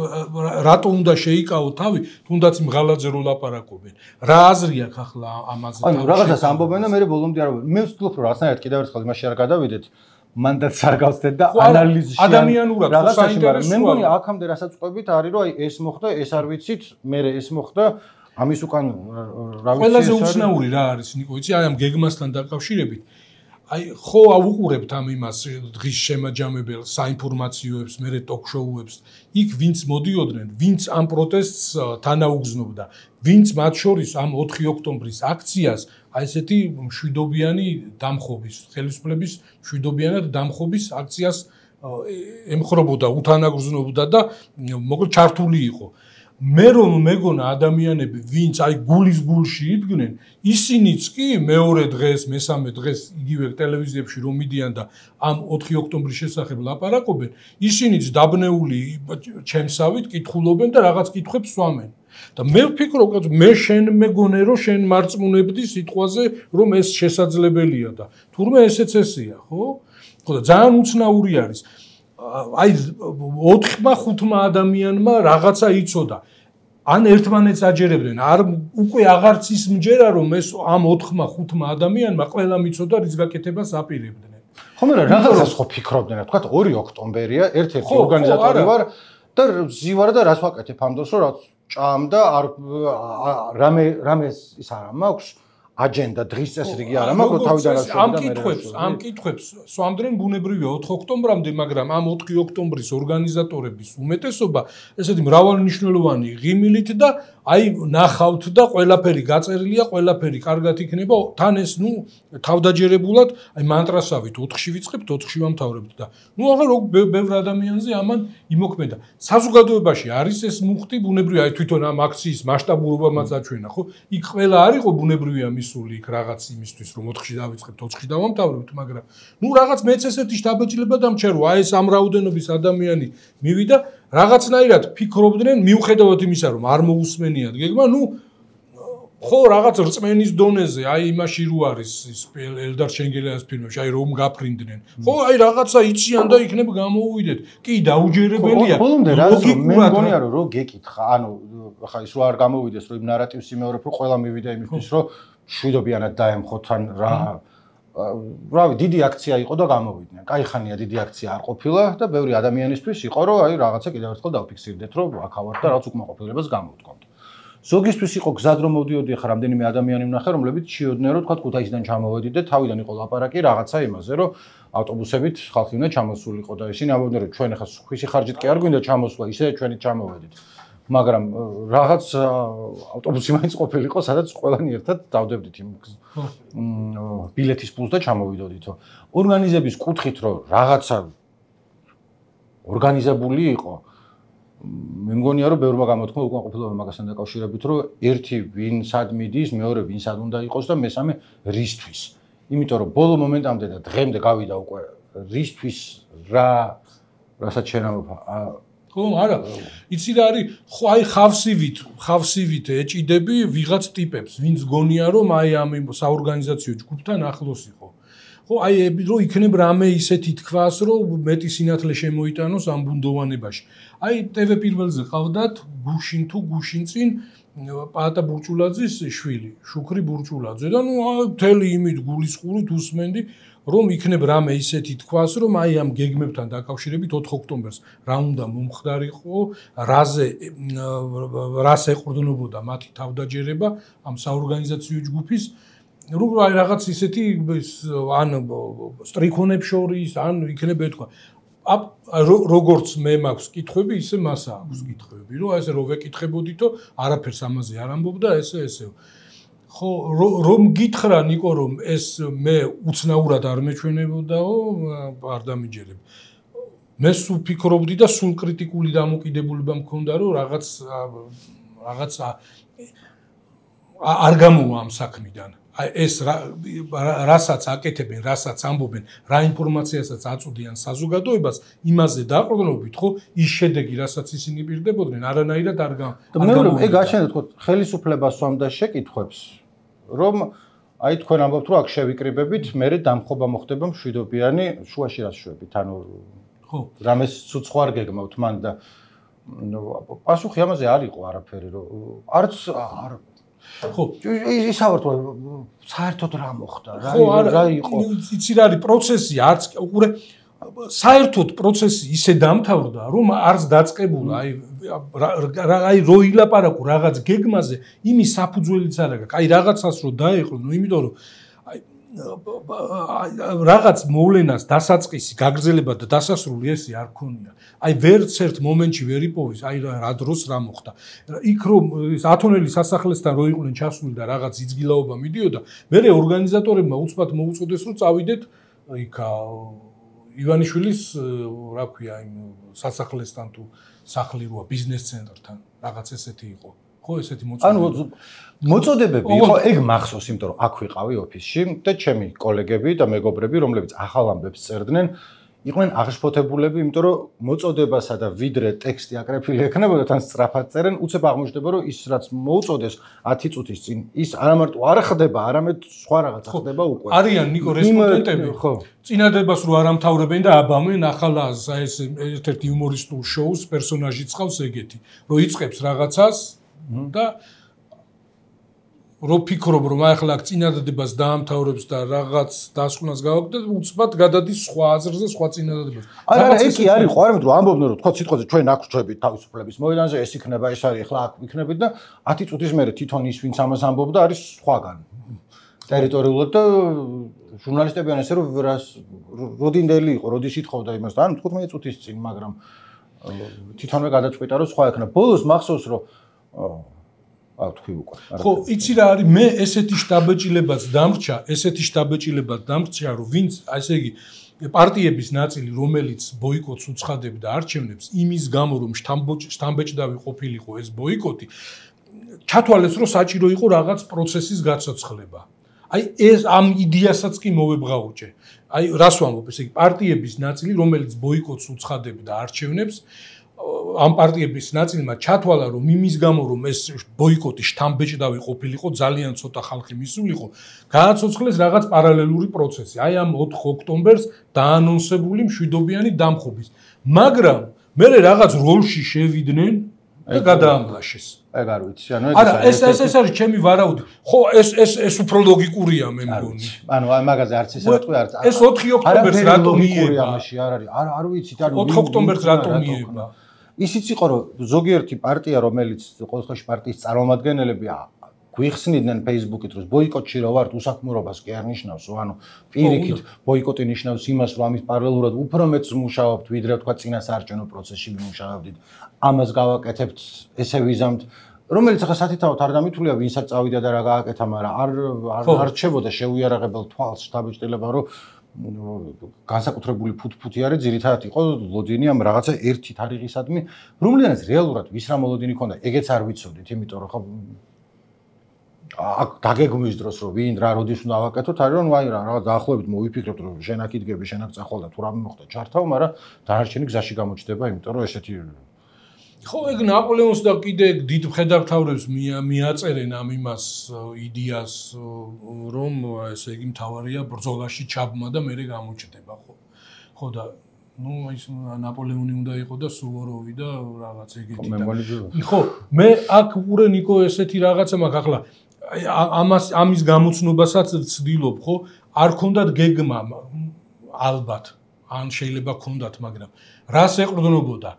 რატო უნდა შეიკავო თავი თუნდაც იმ ღალატზე რო ლაპარაკობენ რა აზრი აქვს ახლა ამაზე ანუ რაღაცას ამბობენ და მე ბოლომდე არ მე ვცდილობ რომ რაღაცნაირად კიდევ ერთხელ იმაში არ გადავიდეთ მანდაც არ გავხდეთ და ანალიზში ადამიანურად საინტერესოა მე მგონი აქამდე რასაც ყვებით არის რომ აი ეს მოხდა ეს არ ვიცით მე ეს მოხდა ამის უკან რა ვიცი ყველაზე უცნაური რა არის ნიკო იცი აი ამ გეგმასთან დაკავშირებით აი ხო აუყურებთ ამ იმას დღის შემაჯამებელ საინფორმაციოებს მერე ტოქ-შოუებს იქ ვინც მოდიოდნენ ვინც ამ პროტესტს თანაუგრძნობდა ვინც მათ შორის ამ ოთხი ოქტომბრის აქციას აი ესეთი მშვიდობიანი დამხობის ხელისუფლების მშვიდობიანად დამხობის აქციას ემხრობოდა უთანაგრძნობდა და მოკლედ ჩართული იყო მე რომ მეგონა ადამიანები ვინც აი გულის გულში იდგნენ ისინიც კი მეორე დღეს მესამე დღეს იგივე ტელევიზიებში რომ მიდიან და ამ ოთხი ოქტომბრის შესახებ ლაპარაკობენ ისინიც დაბნეული ჩემსავით კითხულობენ და რაღაც კითხვებს სვამენ და მე ვფიქრობ რომ მე შენ მეგონე რომ შენ მარწმუნებდი სიტყვაზე რომ ეს შესაძლებელია და თურმე ესეც ესეა ხო ხო და ძალიან უცნაური არის აი ოთხმა ხუთმა ადამიანმა რაღაცა იცოდა ან ერთმანეთს აჯერებდნენ არ უკვე აღარც ის მჯერა რომ ეს ამ ოთხმა ხუთმა ადამიანმა ყველა მიცოდა რის გაკეთებას აპირებდნენ ხო მე რაღაცას ხო ფიქრობდნენ თქვა ორი ოქტომბერია ერთ-ერთი ორგანიზატორი ვარ და ზივარ და რას ვაკეთებ ამ დროს რომ რაც ჭამდა არ რამე რამე ის არა მაქვს აჯენდა დღის წესრიგი არა მაგრამ თავიდან რა ამ კითხვებს ამ კითხვებს სვამდნენ ბუნებრივია ოთხ ოქტომბრამდე მაგრამ ამ ოთხი ოქტომბრის ორგანიზატორების უმეტესობა ესეთი მრავალნიშნულოვანი ღიმილით და აი ნახავთ და ყველაფერი გაწერილია ყველაფერი კარგად იქნება თან ეს ნუ თავდაჯერებულად აი მანტრასავით ოთხში ვიწყებთ ოთხში ვამთავრებთ და ნუ აღარ ბევრ ადამიანზე ამან იმოქმედა საზოგადოებაში არის ეს მუხტი ბუნებრივია აი თვითონ ამ აქციის მასშტაბურობამაც აჩვენა ხო იქ ყველა არისო ბუნებრივია სული იქ რაღაც იმისთვის რომ ოთხში დავიწყებთ ოთხში დავამთავრებთ მაგრამ ნუ რაღაც მეც ესეთი შთაბეჭდილება დამჩერო აი ეს ამ რაოდენობის ადამიანი მივიდა რაღაცნაირად ფიქრობდნენ მიუხედავად იმისა რომ არ მოусმენიათ გეგმა ნუ ხო, რაღაც რწმენის დონეზე, აი იმაში რო არის ის ელდარ შენგელიანის ფილმებში, აი რომ გაფრინდნენ. ხო, აი რაღაცა იციან და იქნებ გამოვიდეთ. კი, დაუჯერებელია. ბოლომდე რა მე მგონია რომ რო გეკითხა, ანუ ხა ის რო არ გამოვიდეს, რომ იმ ნარატივს იმეორებ, რომ ყველა მივიდა იმისთვის, რომ შვიდობიანად დაემხოთ ან რა რავი, დიდი აქცია იყო და გამოვიდნენ. კაი ხანია დიდი აქცია არ ყოფილა და ბევრი ადამიანისთვის იყო, რომ აი რაღაცა კიდევ ერთხელ დავფიქსირდეთ, რომ აქ ავარ და რაღაც უკმაყოფილებას გამოვთქვამთ. ზოგისთვის იყო გზად რომ მოვდიოდი, ხა რამდენიმე ადამიანი ვნახე, რომლებიც ჩიოდნენ, რომ თქვა ქუთაისიდან ჩამოვედით და თავიდან იყო ლაპარაკი რაღაცა იმაზე, რომ ავტობუსებით ხალხი უნდა ჩამოსულიყო და ისინი ამბობდნენ, რომ ჩვენ ახლა ხვისი ხარჯით კი არ გვინდა ჩამოსვლა, ისე ჩვენი ჩამოვედით. მაგრამ რაღაც ავტობუსი მაინც ყოფილიყო, სადაც ყველანი ერთად დავდებდით იმ ბილეთის პულს და ჩამოვიდოდითო. ორგანიზების კუთხით რომ რაღაცა ორგანიზებული იყო, მე მგონია რომ ბევრმა გამოთქმა უკმაყოფილება მაგასთან დაკავშირებით, რომ ერთი ვინ სად მიდის, მეორე ვინ სად უნდა იყოს და მესამე რისთვის. იმიტომ რომ ბოლო მომენტამდე და დღემდე გავიდა უკვე რისთვის რა რასაც შერავა ხო, არა. იცი რა არის, ხო აი ხავსივით, ხავსივით ეჭიდები ვიღაც ტიპებს, ვინც გონია რომ აი ამ საორგანიზაციო ჯგუფთან ახლოს იყო. ხო, აი რომ იქნებ რამე ისეთი თქვას, რომ მეტი სინათლე შემოიტანოს ამ ბუნდოვანებაში. აი ტევ პირველზე ყავდათ გუშინ თუ გუშინწინ პაატა ბურჭულაძის შვილი, შუქრი ბურჭულაძე და ნუ მთელი იმით გულისყურით უსმენდი რომ იქნებ რამე ისეთი თქვას, რომ აი ამ გეგმებთან დაკავშირებით ოთხ ოქტომბერს რა უნდა მომხდარიყო, რაზე რას ეყრდნობოდა მათი თავდაჯერება ამ საორგანიზაციო ჯგუფის, რომ აი რაღაც ისეთი ან სტრიქონებს შორის, ან იქნებ ეთქვა. როგორც მე მაქვს კითხვები, ისე მას აქვს კითხვები, რომ აი ესე რო ვეკითხებოდითო, არაფერს ამაზე არ ამბობდა, ესე ესე. ხო, რომ გითხრა ნიკო, რომ ეს მე უცნაურად არ მეჩვენებოდაო, არ დამიჯერებ. მე სულ ფიქრობდი და სულ კრიტიკული დამოკიდებულება მქონდა, რომ რაღაც რაღაც არ გამოვა ამ საქმიდან. აი ეს რასაც აკეთებენ, რასაც ამბობენ, რა ინფორმაციასაც აწვდიან საზოგადოებას, იმაზე დაყრდნობით, ხო, ის შედეგი, რასაც ისინი პირდებოდნენ, არანაირად არ გამოვიდა. ეგ გაჩნდა თქო, ხელისუფლებას სვამდა შეკითხვებს, რომ აი თქვენ ამბობთ, რომ აქ შევიკრიბებით, მერე დამხობა მოხდება მშვიდობიანი, შუაში რას შვებით, ანუ ხო, რამეს ცუცხო არ გეგმავთ მან და პასუხი ამაზე არ იყო არაფერი, რომ არც არ ხო, ისავართ საერთოდ რა მოხდა, რა იყო. იცი რა არის პროცესი, არც უყურე საერთოდ პროცესი ისე დამთავრდა, რომ არც დაწყებულა, აი აი რო ილაპარაკო რაღაც გეგმაზე, იმის საფუძველიც არ აქვს. აი რაღაცას რო დაეყო, ნუ იმიტომ რომ აი რაღაც მოვლენას დასაწყისი, გაგრძელება და დასასრული ესე არ ქონია. აი ვერც ერთ მომენტში ვერ იპოვის, აი რა დროს რა მოხდა. იქ რომ ათონელის სასახლესთან რო იყვნენ ჩასული და რაღაც იძგილაობა მიდიოდა, მერე ორგანიზატორებმა უცბად მოუწოდეს რომ წავიდეთ იქ ივანიშვილის რა ქვია იმ სასახლესთან თუ სახლი როა ბიზნეს ცენტრთან, რაღაც ესეთი იყო. ხო, ესეთი მოწოდებები. ანუ მოწოდებები იყო, ეგ მახსოვს, იმიტომ რომ აქ ვიყავი ოფისში და ჩემი კოლეგები და მეგობრები, რომლებიც ახალ ამბებს წერდნენ, იყვნენ აღშფოთებულები, იმიტომ რომ მოწოდებასა და ვიდრე ტექსტი აკრეფილი ექნებოდა, თან სწრაფად წერენ, უცებ აღმოჩნდება, რომ ის რაც მოუწოდეს ათი წუთის წინ, ის არა მარტო არ ხდება, არამედ სხვა რაღაცა ხდება უკვე. არიან ნიკო რესპონდენტები, ხო. წინადებას რო არ ამთავრებენ და აბამენ ახალ ეს ერთ-ერთ იუმორისტულ შოუს პერსონაჟიც ყავს ეგეთი, რომ იწყებს რაღაცას და რო ფიქრობ რომ ახლა აქ წინადადებას დაამთავრებს და რაღაც დასკვნას გავაკეთებ, უცბად გადადის სხვა აზრზე, სხვა წინადადებას. არა, არა, ეს კი არის, ხო, არამედ რომ ამბობდნენ რომ თქვა სიტყვაზე ჩვენ აქ ვჩვევით თავისუფლების მოედანზე, ეს იქნება, ეს არის, ახლა აქ ვიქნებით და ათი წუთის მერე თვითონ ის ვინც ამას ამბობდა არის სხვაგან. ტერიტორიულად და ჟურნალისტებიან ესე რომ როდინდელი იყო, როდის ითხოვდა იმას და ანუ თხუთმეტი წუთის წინ, მაგრამ თვითონვე გადაწყვიტა რომ სხვა იქნება. ბოლოს მახსოვს რომ აუ თქვი უკვე. ხო, იცი რა არის, მე ესეთი შტაბეჭილებაც დამრჩა, ესეთი შტაბეჭილებაც დამრჩა, რომ ვინც, ასე იგი, პარტიების ნაწილი, რომელიც ბოიკოტს უცხადებდა არჩევნებს, იმის გამო, რომ შტამბეჭდავი ყოფილიყო ეს ბოიკოტი, ჩათვალეს, რომ საჭირო იყო რაღაც პროცესის გაცოცხლება. აი ეს ამ იდეასაც კი მოვებღაუჭე. აი რას ვამბობ, ესე იგი, პარტიების ნაწილი, რომელიც ბოიკოტს უცხადებდა არჩევნებს, ამ პარტიების ნაწილმა ჩათვალა, რომ იმის გამო, რომ ეს ბოიკოტი შთამბეჭდავი ყოფილიყო, ძალიან ცოტა ხალხი მისულიყო, გააცოცხლეს რაღაც პარალელური პროცესი. აი ამ ოთხ ოქტომბერს დაანონსებული მშვიდობიანი დამხობის. მაგრამ მე რაღაც როლში შევიდნენ და გადაამლაშეს. ეგ არ ვიცი, ანუ ეგ არა, ეს ეს ეს არის ჩემი ვარაუდი. ხო, ეს ეს ეს უფრო ლოგიკურია მე მგონი. ანუ აი მაგაზე არც ისე ვიტყვი, არც ეს ოთხი ოქტომბერს რატომ მიება? ამაში არ არის. არ არ ვიცით, ანუ ოთხ ოქტომბერს რატომ მიება? ისიც იყო, რომ ზოგიერთი პარტია, რომელიც ყოველთვის პარტიის წარმომადგენლები გვიხსნიდნენ Facebook-ით, რომ ბოიკოტში რო ვართ, უსაქმურობას კი არ ნიშნავს, ანუ პირიქით ბოიკოტი ნიშნავს იმას, რომ ამის პარალელურად უფრო მეც მუშაობთ, ვიდრე თქვა წინა საარჩევნო პროცესში ვიმუშაობდით. ამას გავაკეთებთ, ესე ვიზამთ, რომელიც ახლა სათითაოდ არ დამითვლია, ვინსაც წავიდა და რა გააკეთა, მაგრამ არ არ რჩებოდა შეუიარაღებელ თვალს შთაბეჭდილება, რომ განსაკუთრებული ფუთფუთი არის, ძირითადად იყო ლოდინი ამ რაღაცა ერთი თარიღისადმი, რომლიანაც რეალურად ვის რა მოლოდინი ქონდა, ეგეც არ ვიცოდით, იმიტომ რომ ხო აქ დაგეგმვის დროს რომ ვინ რა როდის უნდა ავაკეთოთ, არის რომ აი რა რაღაც დაახლოებით მოვიფიქრებთ, რომ შენ აქ იდგები, შენ აქ წახვალ და თუ რამე მოხდა ჩართავ, მაგრამ დანარჩენი გზაში გამოჩნდება, იმიტომ რომ ესეთი ხო, ეგ ნაპოლეონს და კიდე დიდ მხედართმთავრებს მიაწერენ ამ იმას იდეას, რომ ესე იგი მთავარია ბრძოლაში ჩაბმა და მერე გამოჩნდება, ხო. ხო და ну, ის ნაპოლეონი უნდა იყო და სუვოროვი და რაღაც ეგეთი და ხო, მე აქ უყურე ნიკო ესეთი რაღაცა მაქვს ახლა ამას ამის გამოცნობასაც ვცდილობ, ხო? არ ქონდათ გეგმა ალბათ, ან შეიძლება ქონდათ, მაგრამ რას ეყრდნობოდა?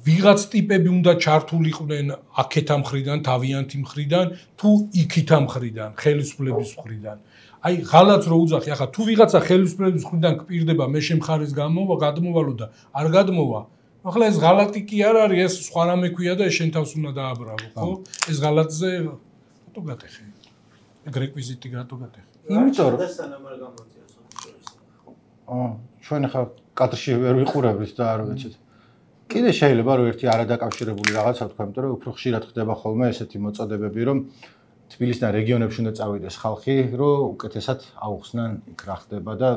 ვიღაც ტიპები უნდა ჩართულიყვნენ აქეთა მხრიდან, თავიანთი მხრიდან, თუ იქითა მხრიდან, ხელისუფლების მხრიდან. აი, ღალატს რო უძახი, ახლა თუ ვიღაცა ხელისუფლების მხრიდან გპირდება, მე შემხარის გამოვა, გადმოვალო და არ გადმოვა. ახლა ეს ღალატი კი არ არის, ეს სხვა რამე ქვია და ეს შენ თავს უნდა დააბრალო, ხო? ეს ღალატზე რატო გატეხე? ეგ რეკვიზიტი რატო გატეხე? იმიტომ რომ დასანამ არ გამოწია სოციალისტი. აა, ჩვენ ახლა კადრში ვერ ვიყურებთ და არ ვიცით. კიდე შეიძლება რომ ერთი არადაკავშირებული რაღაცა თქვა, იმიტომ რომ უფრო ხშირად ხდება ხოლმე ესეთი მოწოდებები, რომ თბილისიდან რეგიონებში უნდა წავიდეს ხალხი, რომ უკეთესად აუხსნან იქ რა ხდება და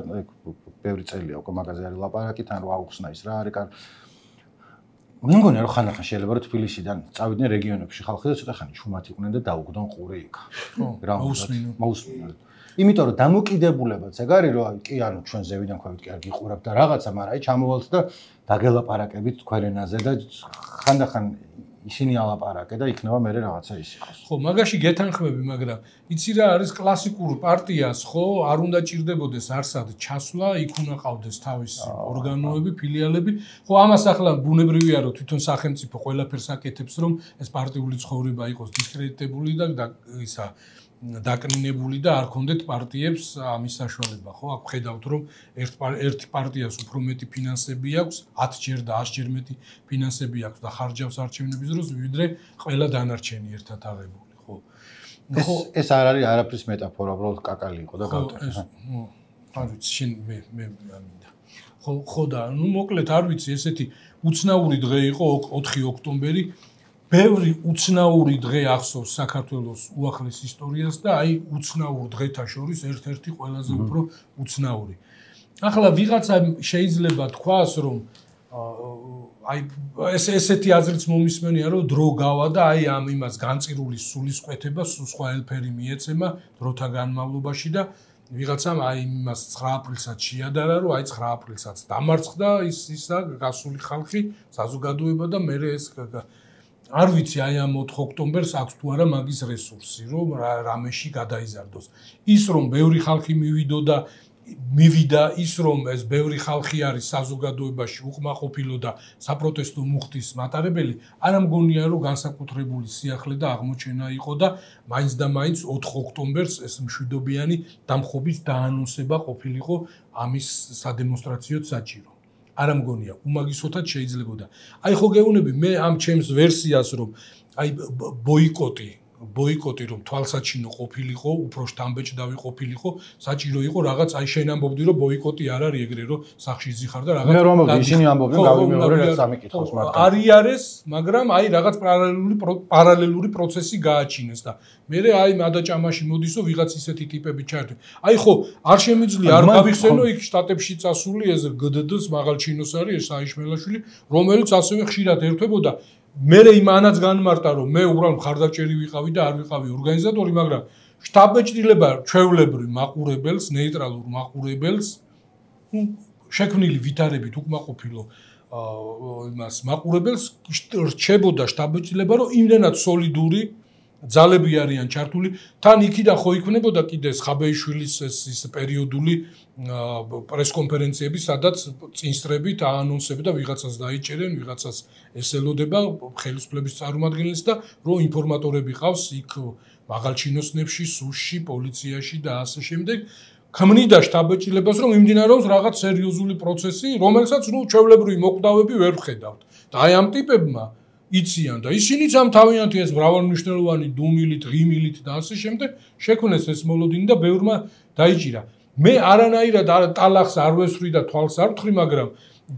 ბევრი წელია უკვე მაგაზე არის ლაპარაკი, თან რომ აუხსნა ის რა არის კარ. მე მგონი რომ ხანდახან შეიძლება რომ თბილისიდან წავიდნენ რეგიონებში ხალხი და ცოტა ხანი ჩუმად იყვნენ და დაუგდონ ყური იქ. ხო, მოусმინო. მოусმინო. იმიტომ რომ დამოკიდებულებაც ეგ არის რომ კი ანუ ჩვენ ზევიდან ქვევით კი არ გიყურებთ და რაღაცა, მაგრამ აი ჩამოვალთ და დაგელაპარაკებით თქვენ ენაზე და ხანდახან ისინი ალაპარაკე და იქნება მე რაღაცა ის იყოს. ხო, მაგაში გეთანხმები, მაგრამ იცი რა არის კლასიკურ პარტიას, ხო, არ უნდა ჭირდებოდეს არსად ჩასვლა, იქ უნდა ყავდეს თავისი ორგანოები, ფილიალები. ხო, ამას ახლა ბუნებრივია რომ თვითონ სახელმწიფო ყველაფერს აკეთებს, რომ ეს პარტიული ცხოვრება იყოს დისკრედიტებული და ისა დაკნინებული და არ ქონდეთ პარტიებს ამის საშუალება, ხო? აქ ხედავთ, რომ ერთ ერთი პარტიას უფრო მეტი ფინანსები აქვს, ათჯერ და ასჯერ მეტი ფინანსები აქვს და ხარჯავს არჩევნების დროს, ვიდრე ყველა დანარჩენი ერთად აღებული, ხო? ხო, ეს არ არის არაფრის მეტაფორა, უბრალოდ კაკალი იყო და გავტეხა. არ ვიცი, შენ მე მე ამინდა. ხო, ხო და ნუ მოკლედ არ ვიცი, ესეთი უცნაური დღე იყო ოთხი ოქტომბერი. ბევრი უცნაური დღე ახსოვს საქართველოს უახლეს ისტორიას და აი უცნაურ დღეთა შორის ერთ-ერთი ყველაზე უფრო უცნაური. ახლა ვიღაცა შეიძლება თქვას, რომ აი ეს ესეთი აზრიც მომისმენია, რომ დრო გავა და აი ამ იმას განწირული სულისკვეთება სხვა ელფერი მიეცემა დროთა განმავლობაში და ვიღაცამ აი იმას ცხრა აპრილსაც შეადარა, რომ აი ცხრა აპრილსაც დამარცხდა ის ისა გასული ხალხი, საზოგადოება და მე ეს არ ვიცი აი ამ ოთხ ოქტომბერს აქვს თუ არა მაგის რესურსი, რომ რამეში გადაიზარდოს. ის რომ ბევრი ხალხი მივიდო და მივიდა, ის რომ ეს ბევრი ხალხი არის საზოგადოებაში უკმაყოფილო და საპროტესტო მუხტის მატარებელი, არ ამგონია რომ განსაკუთრებული სიახლე და აღმოჩენა იყო და მაინც და მაინც ოთხ ოქტომბერს ეს მშვიდობიანი დამხობის დაანონსება ყოფილიყო ამის სადემონსტრაციო საჭირო. არ ამგონია, უმაგისოთად შეიძლებოდა. აი ხო გეუბნები, მე ამ ჩემს ვერსიას რომ აი ბოიკოტი ბოიკოტი რომ თვალსაჩინო ყოფილიყო, უფრო შთამბეჭდავი ყოფილიყო, საჭირო იყო რაღაც აი შენ ამბობდი რომ ბოიკოტი არ არის ეგრე რომ სახში ზიხარ და რაღაც მე რომ ამბობდი ისინი ამბობდნენ გავიმეორე რაც სამიკითხოს მაგრამ არიარეს, მაგრამ აი რაღაც პარალელური პარალელური პროცესი გააჩინეს და მე აი მადაჭამაში მოდისო ვიღაც ისეთი ტიპები ჩაერთვე. აი ხო, არ შემიძლია არ გავიხსენო იქ შტატებში წასული ეს გდდ-ს მაღალჩინოს არის ეს აიშმელაშვილი, რომელიც ასევე ხშირად ერთვებოდა მე იმანაც განმარტა რომ მე უბრალოდ მხარდაჭერი ვიყავი და არ ვიყავი ორგანიზატორი, მაგრამ შტაბ-ბეჭდილება ჩვეულებრივ მაყურებელს, ნეიტრალურ მაყურებელს, ნუ შექმნილი ვითარებით უკმაყოფილო იმას მაყურებელს რჩებოდა შტაბ-ბეჭდილება რომ იმდენად სოლიდური ძალები არიან ჩართული, თან იქიდან ხო იქნებოდა კიდე ხაბეიშვილის ეს პერიოდული პრესკონფერენციები, სადაც წინსწრებით აანონსებდა და ვიღაცას დაიჭერენ, ვიღაცას ესელოდება ხელისუფლების წარმომადგენელს და რომ ინფორმატორები ყავს იქ მაღალჩინოსნებში, სუში, პოლიციაში და ასე შემდეგ. ქმნიდა შტაბ-ბეჭდილებას რომ იმდინარეობს რაღაც სერიოზული პროცესი, რომელსაც ნუ ჩვეულებრივი მოკვდავები ვერ ვხედავთ. და აი ამ ტიპებმა იციან და ისინიც ამ თავიანთი ეს მრავალმნიშვნელოვანი დუმილით, ღიმილით და ასე შემდეგ შექმნეს ეს მოლოდინი და ბევრმა დაიჭირა. მე არანაირად ტალახს არ ვესვრი და თვალს არ ვთხრი, მაგრამ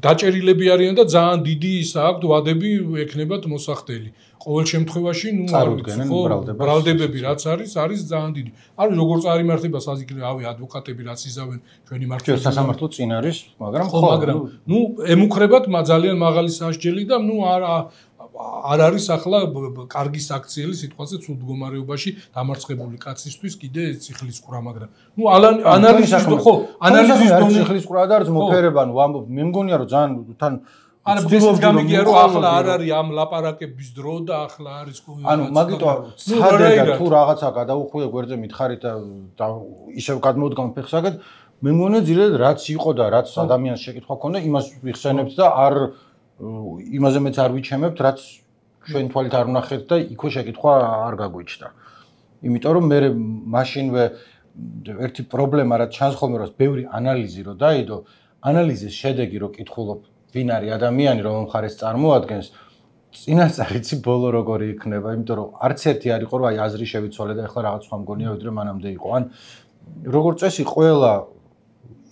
დაჭერილები არიან და ძალიან დიდი ისა აქვთ ვადები ექნებათ მოსახდელი. ყოველ შემთხვევაში, ნუ წარუდგენენ ბრალდებები რაც არის, არის ძალიან დიდი. არის როგორ წარიმართება საზოგადოებრივი ადვოკატები რაც იზავენ ჩვენი მართლობის სასამართლო წინ არის, მაგრამ ხო, მაგრამ ნუ ემუქრებათ ძალიან მაღალი სასჯელი და ნუ არ არ არის ახლა კარგი საქციელი სიტყვაზე ცუდ მდგომარეობაში დამარცხებული კაცისთვის კიდე ციხლის ყრა, მაგრამ ნუ ანალიზის ხო, ანალიზის დონე ციხლის ყრა და არის მოფერება, ნუ ამბობ, მე მგონია რომ ძალიან თან არა ცდილობ გამიგია რომ ახლა არ არის ამ ლაპარაკების დრო და ახლა არის ანუ მაგიტო ცადე და თუ რაღაცა გადაუხვია გვერდზე მითხარით და ისევ გადმოდგამ ფეხსაგად მე მგონია ძირითადად რაც იყო და რაც ადამიანს შეკითხვა ქონდა იმას ვიხსენებთ და არ იმაზე მეც არ ვიჩემებთ რაც ჩვენ თვალით არ ვნახეთ და იქვე შეკითხვა არ გაგვიჩნდა. იმიტომ რომ მე მაშინვე ერთი პრობლემა რაც ჩანს ხოლმე რომ ბევრი ანალიზი რო დაიდო, ანალიზის შედეგი რო კითხულობ ვინ არის ადამიანი რომ მხარეს წარმოადგენს, წინასწარიცი ბოლო როგორი იქნება, იმიტომ რომ არც ერთი არ იყო რომ აი აზრი შევიცვალე და ეხლა რაღაც სხვა მგონია ვიდრე მანამდე იყო. ან როგორც წესი ყველა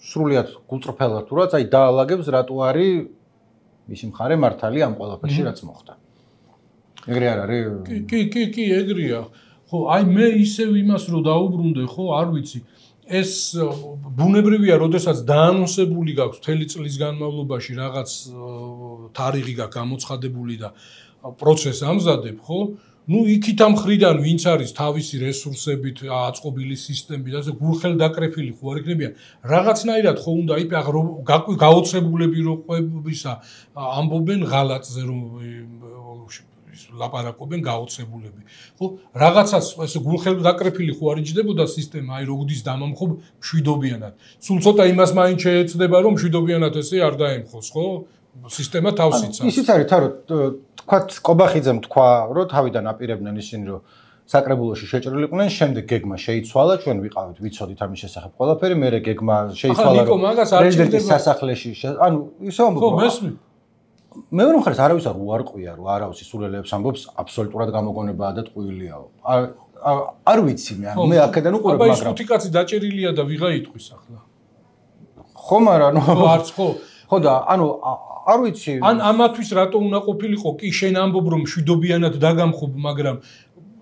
სრულიად გულწრფელად თუ რაც აი დაალაგებს რატო არის მისი მხარე მართალი ამ ყველაფერში რაც მოხდა. ეგრე არ არის? კი, კი, კი, ეგრეა. ხო, აი მე ისევ იმას რო დაუბრუნდე, ხო, არ ვიცი. ეს ბუნებრივია, როდესაც დაანონსებული გაქვს მთელი წლის განმავლობაში რაღაც თარიღი გაქვს გამოცხადებული და პროცესს ამზადებ, ხო? ნუ იქით ამ ხრიდან ვინც არის თავისი რესურსებით, აწყობილი სისტემით, ასე გულხელდაკრეფილი ხო არ იქნებიან. რაღაცნაირად ხო უნდა იფ გაოცებულები რო ყვებისა ამბობენ ღალატზე რომ ლაპარაკობენ გაოცებულები. ხო, რაღაცას ესე გულხელდაკრეფილი ხო არ იჯდებოდა სისტემა, აი როგდის დამამხობ მშვიდობიანად. სულ ცოტა იმას მაინც შეეცდება რომ მშვიდობიანად ესე არ დაემხოს, ხო? სისტემა თავს იცავს. ისიც არის თა რომ თქვათ კობახიძემ თქვა რომ თავიდან აპირებდნენ ისინი რომ საკრებულოში შეჭრილიყვნენ, შემდეგ გეგმა შეიცვალა, ჩვენ ვიყავით, ვიცოდით ამის შესახებ ყველაფერი, მე გეგმა შეიცვალა რომ პრეზიდენტის სასახლეში, ანუ ისე ამბობ. ხო, მესმის. მეორე მხარეს არავის არ უარყვია რომ არავის სულელებს ამბობს აბსოლუტურად გამოგონებაა და ტყუილიაო. არ ვიცი მე, მე აქედან უყურებ, მაგრამ აბა ის ხუთი კაცი დაჭერილია და ვიღა იტყვის ახლა. ხო, მაგრამ ნუ არც ხო. ხო და ანუ არ ვიცი. ან ამათვის რატო უნდა ყოფილიყო? კი შენ ამბობ რომ მშვიდობიანად დაგამხობ, მაგრამ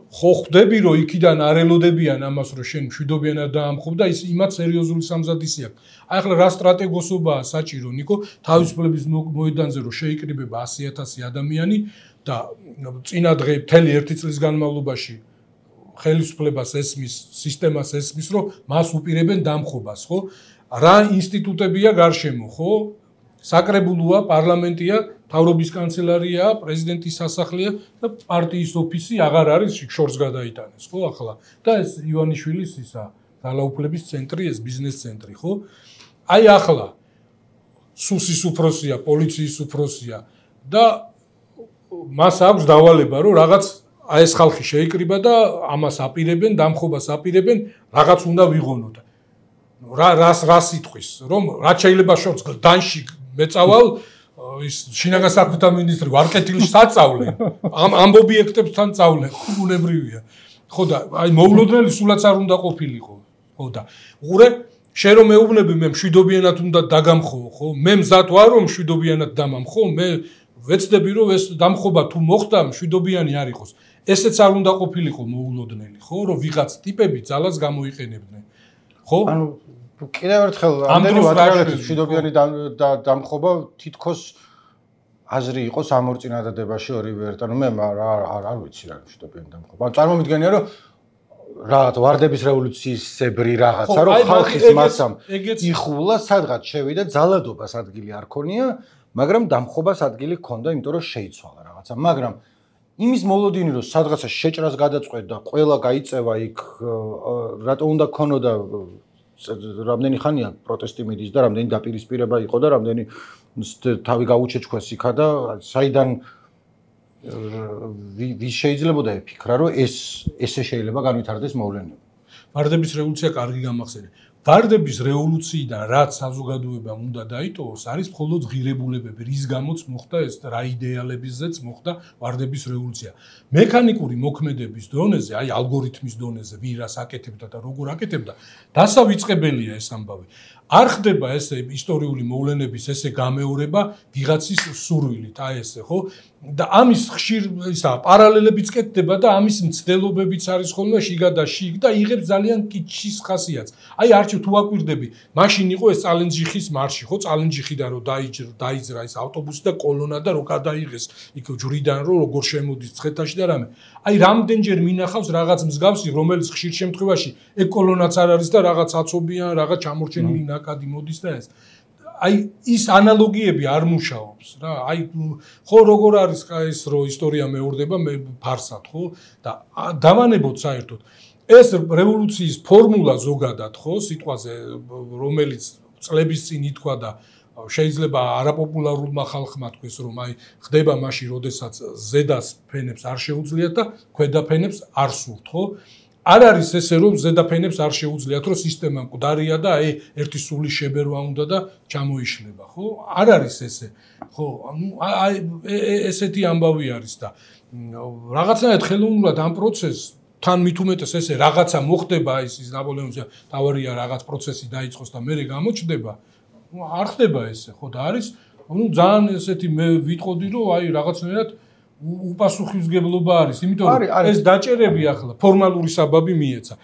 ხო ხვდები რომ იქიდან არ ელოდებიან ამას რომ შენ მშვიდობიანად დაამხობ და ის იმათ სერიოზული სამზადისი აქვს. აი ახლა რა სტრატეგოსობაა საჭირო, ნიკო, თავისუფლების მოედანზე რომ შეიკრიბება ასი ათასი ადამიანი და წინა დღე მთელი ერთი წლის განმავლობაში ხელისუფლებას ესმის, სისტემას ესმის, რომ მას უპირებენ დამხობას, ხო? რა ინსტიტუტებია გარშემო, ხო? საკრებულოა, პარლამენტია, თავრობის კანცელარიაა, პრეზიდენტის სასახლეა და პარტიის ოფისი აღარ არის შორს გადაიტანეს, ხო, ახლა. და ეს ივანიშვილის ისა ძალაუფლების ცენტრი, ეს ბიზნეს ცენტრი, ხო? აი ახლა სუსის უფროსია, პოლიციის უფროსია და მას აქვს დავალება, რომ რაღაც აი ეს ხალხი შეიკრიბა და ამას აპირებენ, დამხობას აპირებენ, რაღაც უნდა ვიღონოთ. რა რას რას იტყვის, რომ რაც შეიძლება შორს დანში მეწავალ ის შინაგან საქმეთა მინისტრი ვარკეთილს საწავლენ. ამ ამბობიექტებთან წავლენ, ბუნებრივია. ხო და აი მოულოდნელი სულაც არ უნდა ყოფილიყო. ხო და უყურე შენ რომ მეუბნები მე მშვიდობიანად უნდა დაგამხო ხო მე მზად ვარ რომ მშვიდობიანად დამამხო მე ვეცდები რომ ეს დამხობა თუ მოხდა მშვიდობიანი არ იყოს ესეც არ უნდა ყოფილიყო მოულოდნელი ხო რომ ვიღაც ტიპები ძალას გამოიყენებდნენ ხო ანუ კიდევ ერთხელ ამდენი ვატრიალეთის მშვიდობიანი დამხობა თითქოს აზრი იყო სამორწინადადებაში ორივე ერთ ანუ მე არ არ არ ვიცი რა მშვიდობიანი დამხობა ანუ წარმომიდგენია რომ რაღაც ვარდების რევოლუციისებრი რაღაცა რომ ხალხის მასამ იხულა სადღაც შევიდა ძალადობას ადგილი არ ქონია მაგრამ დამხობას ადგილი ჰქონდა იმიტომ რომ შეიცვალა რაღაცა მაგრამ იმის მოლოდინი რომ სადღაცა შეჭრას გადაწყვეტდა ყველა გაიწევა იქ რატო უნდა ქონოდა რამდენი ხანია პროტესტი მიდის და რამდენი დაპირისპირება იყო და რამდენი თავი გაუჩეჩქვეს იქა და საიდან ვის შეიძლებოდა იფიქრა რომ ეს ესე შეიძლება განვითარდეს მოვლენები. ვარდების რევოლუცია კარგი გამახსენე. ვარდების რევოლუციიდან რაც საზოგადოებამ უნდა დაიტოვოს არის მხოლოდ ღირებულებები, რის გამოც მოხდა ეს რა იდეალებიზეც მოხდა ვარდების რევოლუცია. მექანიკური მოქმედების დონეზე, აი ალგორითმის დონეზე, ვინ რას აკეთებდა და როგორ აკეთებდა, დასავიწყებელია ეს ამბავი. არ ხდება ესე ისტორიული მოვლენების ესე გამეორება ვიღაცის სურვილით, აი ესე, ხო? და ამის ხშირ ისა პარალელებიც კეთდება და ამის მცდელობებიც არის ხოლმე შიგა და შიგ და იღებს ძალიან კიჩის ხასიათს. აი არჩევ თუ აკვირდები, მაშინ იყო ეს წალენჯიხის მარში, ხო? წალენჯიხიდან რომ დაიჯრა, დაიძრა ეს ავტობუსი და კოლონა და რო გადაიღეს იქ ჯვრიდან რომ როგორ შემოდის ცხეთაში და რამე. აი რამდენჯერ მინახავს რაღაც მსგავსი, რომელიც ხშირ შემთხვევაში ეგ კოლონაც არ არის და რაღაც აცობიან, რაღაც ჩამორჩენილი ნაკადი მოდის და ეს აი ის ანალოგიები არ მუშაობს რა აი ხო როგორ არის ეს რო ისტორია მეორდება მე ფარსად ხო და დავანებოთ საერთოდ ეს რევოლუციის ფორმულა ზოგადად ხო სიტყვაზე რომელიც წლების წინ ითქვა და შეიძლება არაპოპულარულმა ხალხმა თქვეს რომ აი ხდება მაშინ როდესაც ზედას ფენებს არ შეუძლიათ და ქვედა ფენებს არ სურთ ხო არ არის ესე რომ ზედაფენებს არ შეუძლიათ რომ სისტემა მკვდარია და აი ერთი სული შებერვა უნდა და ჩამოიშლება ხო არ არის ესე ხო ანუ აი ესეთი ამბავი არის და რაღაცნაირად ხელოვნურად ამ პროცესს თან მით უმეტეს ესე რაღაცა მოხდება ის ის ნაპოლეონის თავარია რაღაც პროცესი დაიწყოს და მერე გამოჩნდება არ ხდება ესე ხო და არის ანუ ძალიან ესეთი მე ვიტყოდი რომ აი რაღაცნაირად უპასუხისმგებლობა არის, იმიტომ რომ ეს დაჭერები ახლა ფორმალური საბაბი მიეცა.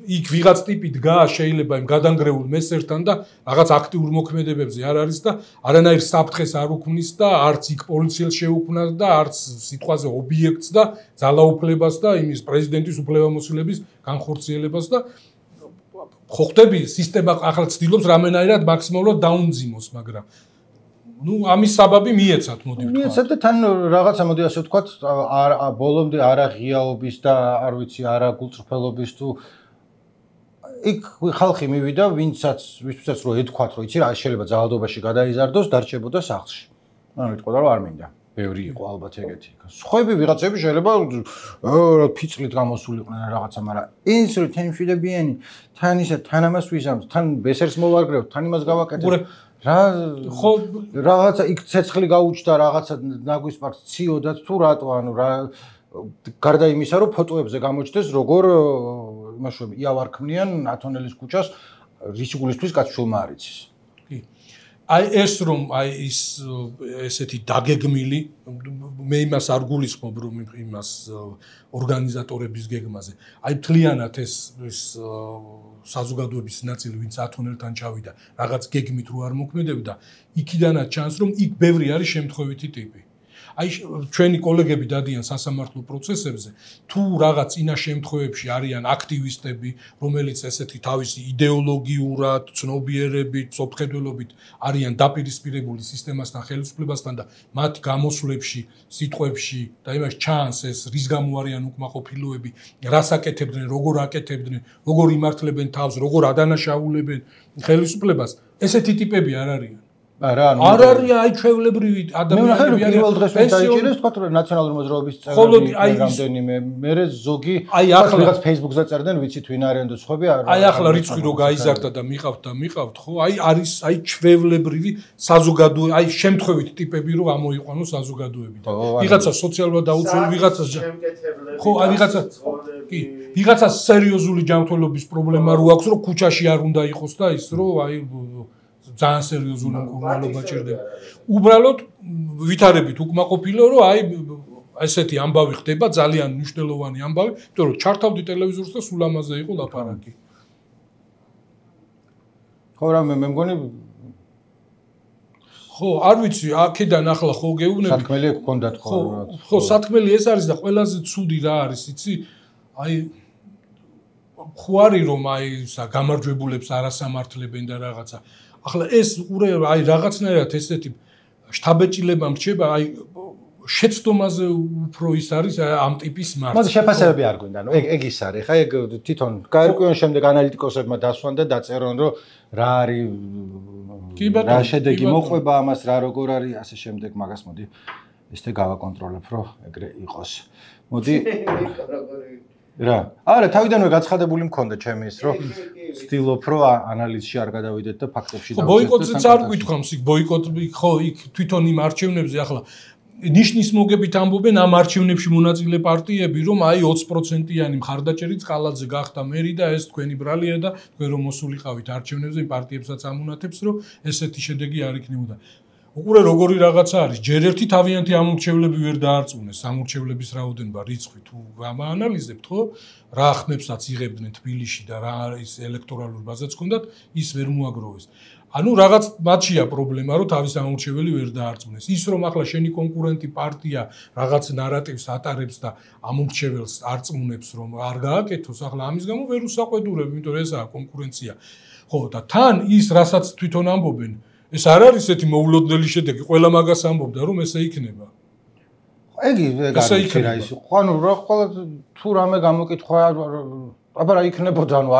იქ ვიღაც ტიპი დგაა შეიძლება იმ გადანგრეულ მესერთან და რაღაც აქტიურ მოქმედებებზე არ არის და არანაირ საფრთხეს არ უქმნის და არც იქ პოლიციელს შეუქმნას და არც სიტყვაზე ობიექტს და ძალაუფლებას და იმის პრეზიდენტის უფლებამოსილების განხორციელებას და ხო ხდები სისტემა ახლა ცდილობს რამენაირად მაქსიმალურად დაუნძიმოს, მაგრამ ну ამის საბაბი მიეცათ მოდი ვთქვა. მიეცათ და თან რაღაცა მოდი ასე ვთქვათ, არ ბოლომდე არა ღიაობის და არ ვიცი, არა გულწრფელობის თუ იქ ხალხი მივიდა, ვინცაც ვისაც რო ეთქვათ, რომ იცი რა შეიძლება ძალადობაში გადაიზარდოს, დარჩებოდა სახლში. ანუ იტყოდა რომ არ მინდა. ბევრი იყო ალბათ ეგეთი. სხვები ვიღაცები შეიძლება რა ფიცლით გამოსულიყვნენ რაღაცა, მაგრამ ის რო თან მშვიდობიანი, თან ისა თან ამას ვიზამთ, თან ბესერს მოვარგრევთ, თან იმას გავაკეთებ. რა ხო რაღაცა იქ ცეცხლი გაუჩნდა რაღაცა ნაგვის პარკს ციოდათ თუ რატო ანუ რა გარდა იმისა რომ ფოტოებზე გამოჩნდეს როგორ იმაშვები იავარ ქმნიან ათონელის ქუჩას რისგულისთვის კაცშულმა არ იცის კი აი ეს რომ აი ის ესეთი დაგეგმილი მე იმას არ გულისხმობ რომ იმას ორგანიზატორების გეგმაზე აი მთლიანად ეს ეს საზოგადოების ნაწილი ვინც ათონელთან ჩავიდა რაღაც გეგმით რო არ მოქმედებდა იქიდანაც ჩანს რომ იქ ბევრი არის შემთხვევითი ტიპი აი ჩვენი კოლეგები დადიან სასამართლო პროცესებზე თუ რაღაც წინა შემთხვევებში არიან აქტივისტები რომელიც ესეთი თავისი იდეოლოგიურად ცნობიერებით სოფხედველობით არიან დაპირისპირებული სისტემასთან ხელისუფლებასთან და მათ გამოსვლებში სიტყვებში და იმას ჩანს ეს რის გამო არიან უკმაყოფილოები რას აკეთებდნენ როგორ აკეთებდნენ როგორ იმართლებენ თავს როგორ ადანაშაულებენ ხელისუფლებას ესეთი ტიპები არ არიან არა ანუ არ არის აი ჩვეულებრივი ადამიანები არიან პირველ დღეს დაიჭირეს თქვა რომ ნაციონალური მოძრაობის წევრები რამდენიმე მერე ზოგი ახლა რაღაც Facebook-ზე წერდნენ ვიცით ვინ არიან და სხვები არა აი ახლა რიცხვი რო გაიზარდა და მიყავთ და მიყავთ ხო აი არის აი ჩვეულებრივი საზოგადო აი შემთხვევით ტიპები რო ამოიყვანოს საზოგადოებიდან ვიღაცა სოციალურად დაუცველი ვიღაცა ხო აი ვიღაცა კი, ვიღაცას სერიოზული ჯანმრთელობის პრობლემა რო აქვს, რომ ქუჩაში არ უნდა იყოს და ის რომ აი ძალიან სერიოზული მკურნალობა ჭირდება. უბრალოდ ვითარებით უკმაყოფილო, რომ აი ესეთი ამბავი ხდება, ძალიან მნიშვნელოვანი ამბავი, იმიტომ რომ ჩართავდი ტელევიზორს და სულ ამაზე იყო ლაპარაკი. ხო, რა მე მგონი ხო, არ ვიცი, აქედან ახლა ხო გეუბნები. სათქმელი გქონდათ ხო რა. ხო, სათქმელი ეს არის და ყველაზე ცუდი რა არის, იცი? აი ხო არის რომ აი ისა გამარჯვებულებს არასამართლებენ და რაღაცა. ახლა ეს ყურე აი რაღაცნაირად ესეთი შთაბეჭდილება მრჩება, აი შეცდომაზე უფრო ის არის ამ ტიპის მარცხი. მოდი შეფასებები არ გვინდა, ნუ ეგ ეგ ის არის. ხა ეგ თვითონ გაერკვიონ შემდეგ ანალიტიკოსებმა დასვან და დაწერონ, რომ რა არის რა შედეგი მოყვება ამას, რა როგორ არის, ასე შემდეგ, მაგას მოდი ესე გავაკონტროლებ, რომ ეგრე იყოს. მოდი რა. არა, თავიდანვე გაცხადებული მქონდა ჩემი ის, რომ ვცდილობ, რომ ანალიზში არ გადავიდეთ და ფაქტებში დავიწყოთ. ხო, ბოიკოტზეც არ გვითქვამს, იქ ბოიკოტი, ხო, იქ თვითონ იმ არჩევნებზე ახლა ნიშნის მოგებით ამბობენ ამ არჩევნებში მონაწილე პარტიები, რომ აი ოცი პროცენტიანი მხარდაჭერი წყალაძე გახდა მერი და ეს თქვენი ბრალია და თქვენ რომ მოსულიყავით არჩევნებზე, იმ პარტიებსაც ამუნათებს, რომ ესეთი შედეგი არ იქნებოდა. უყურე როგორი რაღაცა არის, ჯერ ერთი თავიანთი ამორჩევლები ვერ დაარწმუნეს, ამორჩევლების რაოდენობა რიცხვი თუ გამაანალიზებთ, ხო? რა ხმებსაც იღებდნენ თბილისში და რა არის ელექტორალური ბაზაც ჰქონდათ, ის ვერ მოაგროვეს. ანუ რაღაც მათშია პრობლემა, რომ თავის ამორჩეველი ვერ დაარწმუნეს. ის რომ ახლა შენი კონკურენტი პარტია რაღაც ნარატივს ატარებს და ამორჩეველს არწმუნებს, რომ არ გააკეთოს, ახლა ამის გამო ვერ უსაყვედურებ, იმიტომ რომ ესაა კონკურენცია. ხო, და თან ის რასაც თვითონ ამბობენ, ეს არ არის ესეთი მოულოდნელი შედეგი, ყველა მაგას ამბობდა, რომ ესე იქნება. ეგი ეგ არის რა ის. ანუ რა ყველა თუ რამე გამოკითხვა აბა რა იქნებოდა, ანუ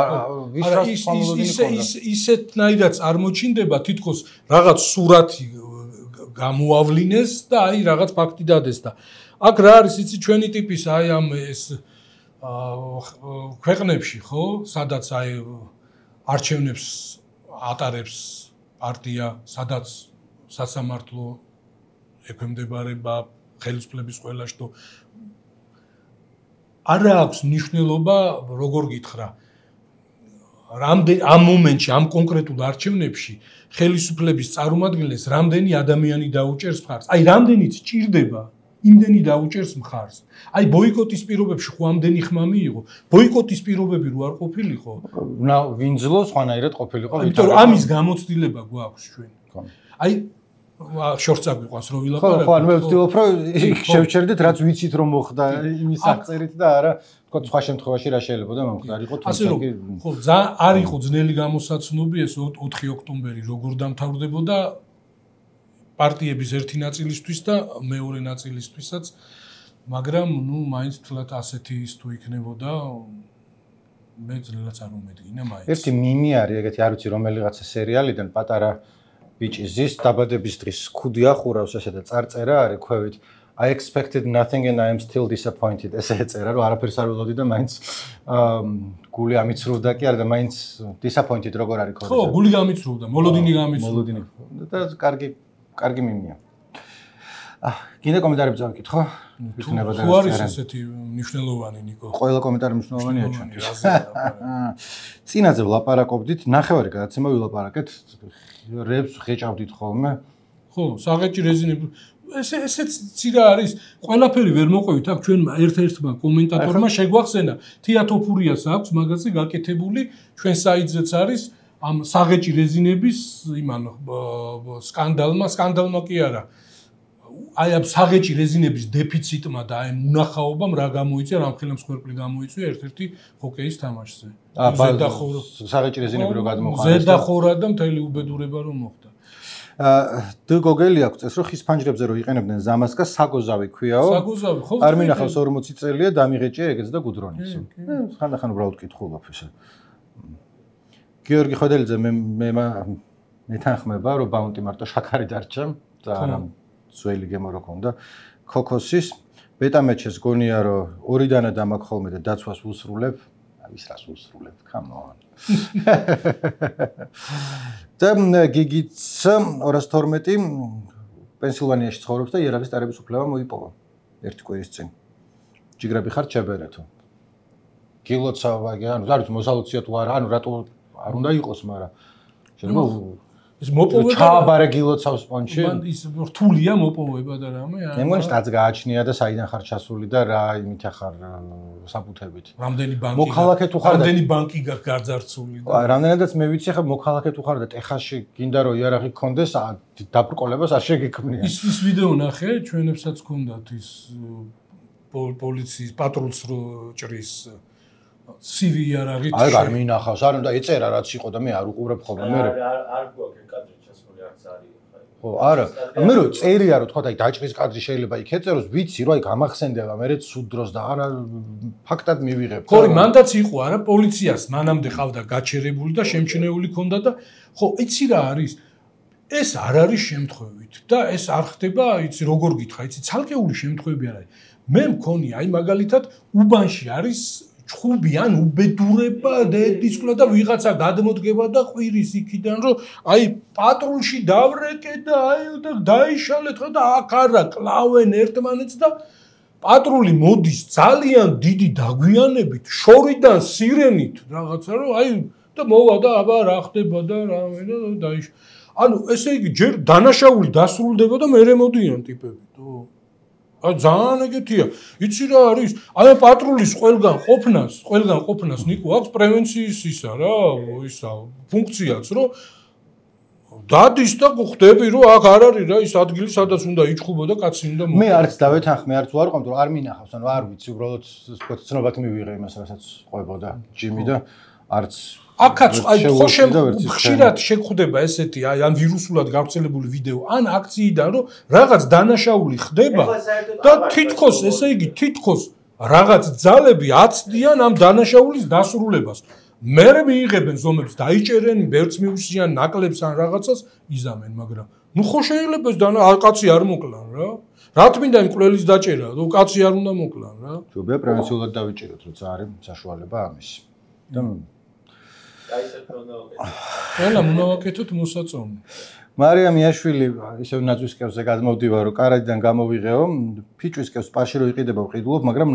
ვის რას ხმამულობინი ქონდა. ის ისეთნაირად წარმოჩინდება, თითქოს რაღაც სურათი გამოავლინეს და აი რაღაც ფაქტი დადეს და აქ რა არის იცი ჩვენი ტიპის აი ამ ეს ქვეყნებში, ხო, სადაც აი არჩევნებს ატარებს პარტია, სადაც სასამართლო ექვემდებარება ხელისუფლების ყველა შტო არა აქვს მნიშვნელობა, როგორ გითხრა, რამდენ ამ მომენტში, ამ კონკრეტულ არჩევნებში ხელისუფლების წარმომადგენლებს რამდენი ადამიანი დაუჭერს მხარს. აი, რამდენიც ჭირდება, იმდენი დაუჭერს მხარს. აი, ბოიკოტის პირობებში ხო ამდენი ხმა მიიღო. ბოიკოტის პირობები რო არ ყოფილიყო, ვინძლო სხვანაირად ყოფილიყო. იმიტომ რომ ამის გამოცდილება გვაქვს ჩვენ. აი შორტს აგვიყვანს რომ ვილაპარაკო. ხო, ხო, ანუ მე ვცდილობ რომ შევჩერდეთ რაც ვიცით რომ მოხდა იმის აღწერით და არა თქო სხვა შემთხვევაში რა შეიძლება და მომხდარიყო თუმცა ასე რომ ხო ძალიან არ იყო ძნელი გამოსაცნობი ეს ოთხი ოქტომბერი როგორ დამთავრდებოდა პარტიების ერთი ნაწილისთვის და მეორე ნაწილისთვისაც მაგრამ ნუ მაინც თლათ ასეთი ის თუ იქნებოდა მე ძლელაც არ მომედგინა მაინც ერთი მინი არის ეგეთი არ ვიცი რომელიღაცა სერიალიდან პატარა ბიჭი ზის დაბადების დღის ქუდი ახურავს ესე და წარწერა არის ქვევით I expected nothing and I am still disappointed ესე ეწერა რომ არაფერს არ ველოდი და მაინც გული ამიცრუვდა კი არა და მაინც disappointed როგორ არის ხო გული გამიცრუვდა მოლოდინი გამიცრუვდა მოლოდინი და კარგი კარგი მინია აა კიდე კომენტარები წავიკითხო იქნება და ხო არის ესეთი მნიშვნელოვანი ნიკო ყველა კომენტარი მნიშვნელოვანია ჩვენთვის წინაზე ვლაპარაკობდით ნახევარი გადაცემა ვილაპარაკეთ რებს ხეჭავდით ხოლმე ხო საღეჭი რეზინები ეს ესეც ცირა არის ყველაფერი ვერ მოყვევით აქ ჩვენ ერთ-ერთმა კომენტატორმა შეგვახსენა თეატოფურიას აქვს მაგაზე გაკეთებული ჩვენ საიტზეც არის ამ საღეჭი რეზინების იმან სკანდალმა სკანდალმა კი არა აი ამ საღეჭი რეზინების დეფიციტმა და აი მუნახაობამ რა გამოიწვია რამ ხელმსხვერპლი გამოიწვია ერთ-ერთი ჰოკეის თამაშზე ზედახორა საღეჭი რეზინები რო გადმოხარეს ზედახორა და მთელი უბედურება რომ მოხდა დ გოგელი აქვს წეს რომ ხის ფანჯრებზე რო იყენებდნენ ზამასკა საგოზავი ქვიაო საგოზავი ხო არ მინახავს ორმოცი წელია დამიღეჭია ეგეც და გუდრონის ხანდახან უბრალოდ კითხულობ ესე გიორგი ხვედელიძე მე მე მეთანხმება რომ ბაუნტი მარტო შაქარი დარჩა და არა ძველი გემო რო ქონდა ქოქოსის ბეტამეჩეს გონია რომ ორიდანე დამაკ ხოლმე და დაცვას უსრულებ ის რას უსრულებ come on და გიგიც ორას თორმეტი პენსილვანიაში ცხოვრობს და იარაღის დარების უფლება მოიპოვა ერთი კვირის წინ ჯიგრები ხარ ჩებერეთო გილოცავა, ანუ არ ვიცი მოსალოცია თუ არა, ანუ რატო არ უნდა იყოს, მაგრამ შეიძლება ეს მოპოვება ჩააბარე გილოცავს პონჩი. მან ის რთულია მოპოვება და რამე. მე მგონი სტაც გააჩნია და საიდან ხარ ჩასული და რა იმით ახარ საფუთებით. რამდენი ბანკი მოქალაქე თუ ხარ და რამდენი ბანკი გაქვს გაძარცული და რამდენადაც მე ვიცი ხა მოქალაქე თუ ხარ და ტეხასში გინდა რომ იარაღი გქონდეს დაბრკოლებას არ შეგექმნია. ის ის ვიდეო ნახე, ჩვენებსაც გქონდათ ის პოლიციის პატრულს რო ჭრის სივი იარაღით. აი არ მინახავს, არ უნდა ეწერა რაც იყო და მე არ უყურებ ხოლმე მე. არ არ გვაქვს კადრი ჩასული არც არის. ხო, არა. მე რო წერია რომ თქვა და აი დაჭრის კადრი შეიძლება იქ ეწეროს, ვიცი რომ აი გამახსენდება მე სულ დროს და არა ფაქტად მივიღებ. ხო, მანდაც იყო არა პოლიციას მანამდე ყავდა გაჩერებული და შემჩნეული ქონდა და ხო, იცი რა არის? ეს არ არის შემთხვევით და ეს არ ხდება, იცი როგორ გითხრა, იცი ცალკეული შემთხვევები არ არის. მე მქონია აი მაგალითად უბანში არის ჩხუბი ან უბედურება დედისკლა და ვიღაცა გადმოდგება და ყვირის იქიდან რომ აი პატრულში დავრეკე და აი და დაიშალეთ ხო და აქ არა კლავენ ერთმანეთს და პატრული მოდის ძალიან დიდი დაგვიანებით შორიდან სირენით რაღაცა რომ აი და მოვა და აბა რა ხდება და რამე და დაიშ ანუ ესე იგი ჯერ დანაშაული დასრულდება და მერე მოდიან ტიპები თო აი ძალიან ეგეთია. იცი რა არის? აი პატრულის ყველგან ყოფნას, ყველგან ყოფნას ნიკო აქვს პრევენციის ისა რა, ისა ფუნქციაც, რომ დადის და ხვდები რომ აქ არ არის რა ის ადგილი, სადაც უნდა იჭხუბო და კაცი უნდა მოხდეს. მე არც დავეთანხმე, არც ვარ ყავთ, რომ არ მინახავს, ანუ არ ვიცი, უბრალოდ თქვა ცნობად მივიღე იმას, რასაც ყვებოდა ჯიმი და არც აქაც აი ხო ხშირად შეგხვდება ესეთი აი ან ვირუსულად გავრცელებული ვიდეო ან აქციიდან რომ რაღაც დანაშაული ხდება და თითქოს ესე იგი თითქოს რაღაც ძალები აცდიან ამ დანაშაულის დასრულებას. მერე მიიღებენ ზომებს, დაიჭერენ, ბერც მიუსიან, ნაკლებს ან რაღაცას იზამენ, მაგრამ ნუ ხო შეიძლება ეს დანა კაცი არ მოკლან რა. რა თქმა იმ კვლელის დაჭერა, რომ კაცი არ უნდა მოკლან რა. ჯობია პრევენციულად დავიჭეროთ, როცა არის საშუალება ამის. და აი ეს პრონოვაკეთო. ყველა მონავაკეთოთ მოსაწონი. მარიამ იაშვილი ისევ ნაძვის კევზე გადმოვდივა რომ კარადიდან გამოვიღეო, ფიჭვის კევს პარში რო იყიდება ვყიდულობ, მაგრამ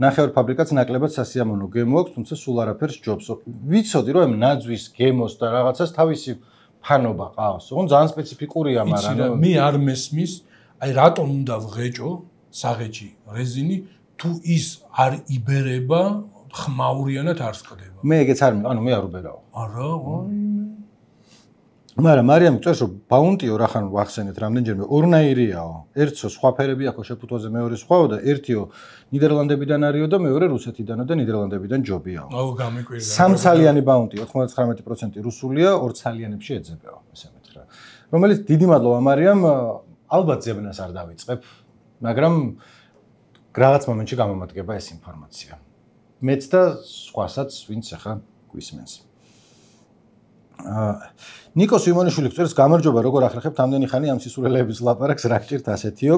ნახევარ ფაბრიკაც ნაკლებად სასიამოვნო გემო აქვს, თუმცა სულ არაფერს ჯობს. ვიცოდი რომ ნაძვის გემოს და რაღაცას თავისი ფანობა ყავს. ოღონ ძალიან სპეციფიკურია, მაგრამ მე არ მესმის, აი რატომ უნდა ვღეჭო საღეჭი რეზინი თუ ის არ იბერება ხმაურიანად არ სკდება. მე ეგეც არ ანუ მე არ უბერავ. არა, აი მაგრამ მარიამ წერს რომ ბაუნტიო რახან ვახსენეთ რამდენჯერმე ორნაირიაო. ერთსო სხვა ფერები აქვს შეფუთვაზე, მეორე სხვაო და ერთიო ნიდერლანდებიდან არისო და მეორე რუსეთიდანო და ნიდერლანდებიდან ჯობიაო. აუ გამიკვირდა. სამცალიანი ბაუნტი ოცდათხმეტ პროცენტი რუსულია, ორ ცალიანებში ეძებეო, ესე მეთქრა. რომელიც დიდი მადლობა მარიამ, ალბათ ზებნას არ დავიწყებ, მაგრამ რაღაც მომენტში გამომადგება ეს ინფორმაცია. მეც და სხვასაც ვინც ახლა გვისმენს. აა ნიკოს იმონიშვილი წერს გამარჯობა როგორ ახერხებთ ამდენი ხანი ამ სისულელეების ლაპარაკს რა გჭირთ ასეთიო.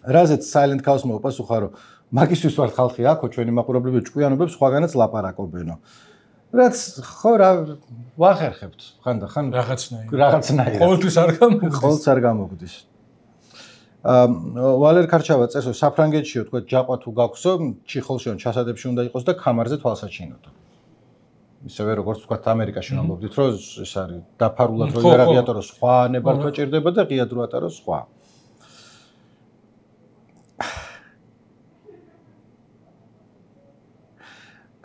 რაზეც Silent Chaos მოპასუხა რომ მაგისთვის ვართ ხალხი აქო ჩვენი მაყურებლები ჭკვიანობებს სხვაგანაც ლაპარაკობენო. რაც ხო რა ვახერხებთ ხანდახან რაღაცნაირად. რაღაცნაირად. ყოველთვის არ გამოგდის. ყოველთვის არ გამოგდის. აა ვალერ ქარჩავა წერს რომ საფრანგეთშიო თქვა ჯაყვა თუ გაქვსო, ჩიხოლშიო ჩასადებში უნდა იყოს და კამარზე თვალსაჩინოდო. ისევე როგორც თქვა ამერიკაში ვამბობდით რომ ეს არის დაფარულად რომ იარაღი ატაროს სხვა ნებართვა ჭირდება და ღია დრო ატაროს სხვა.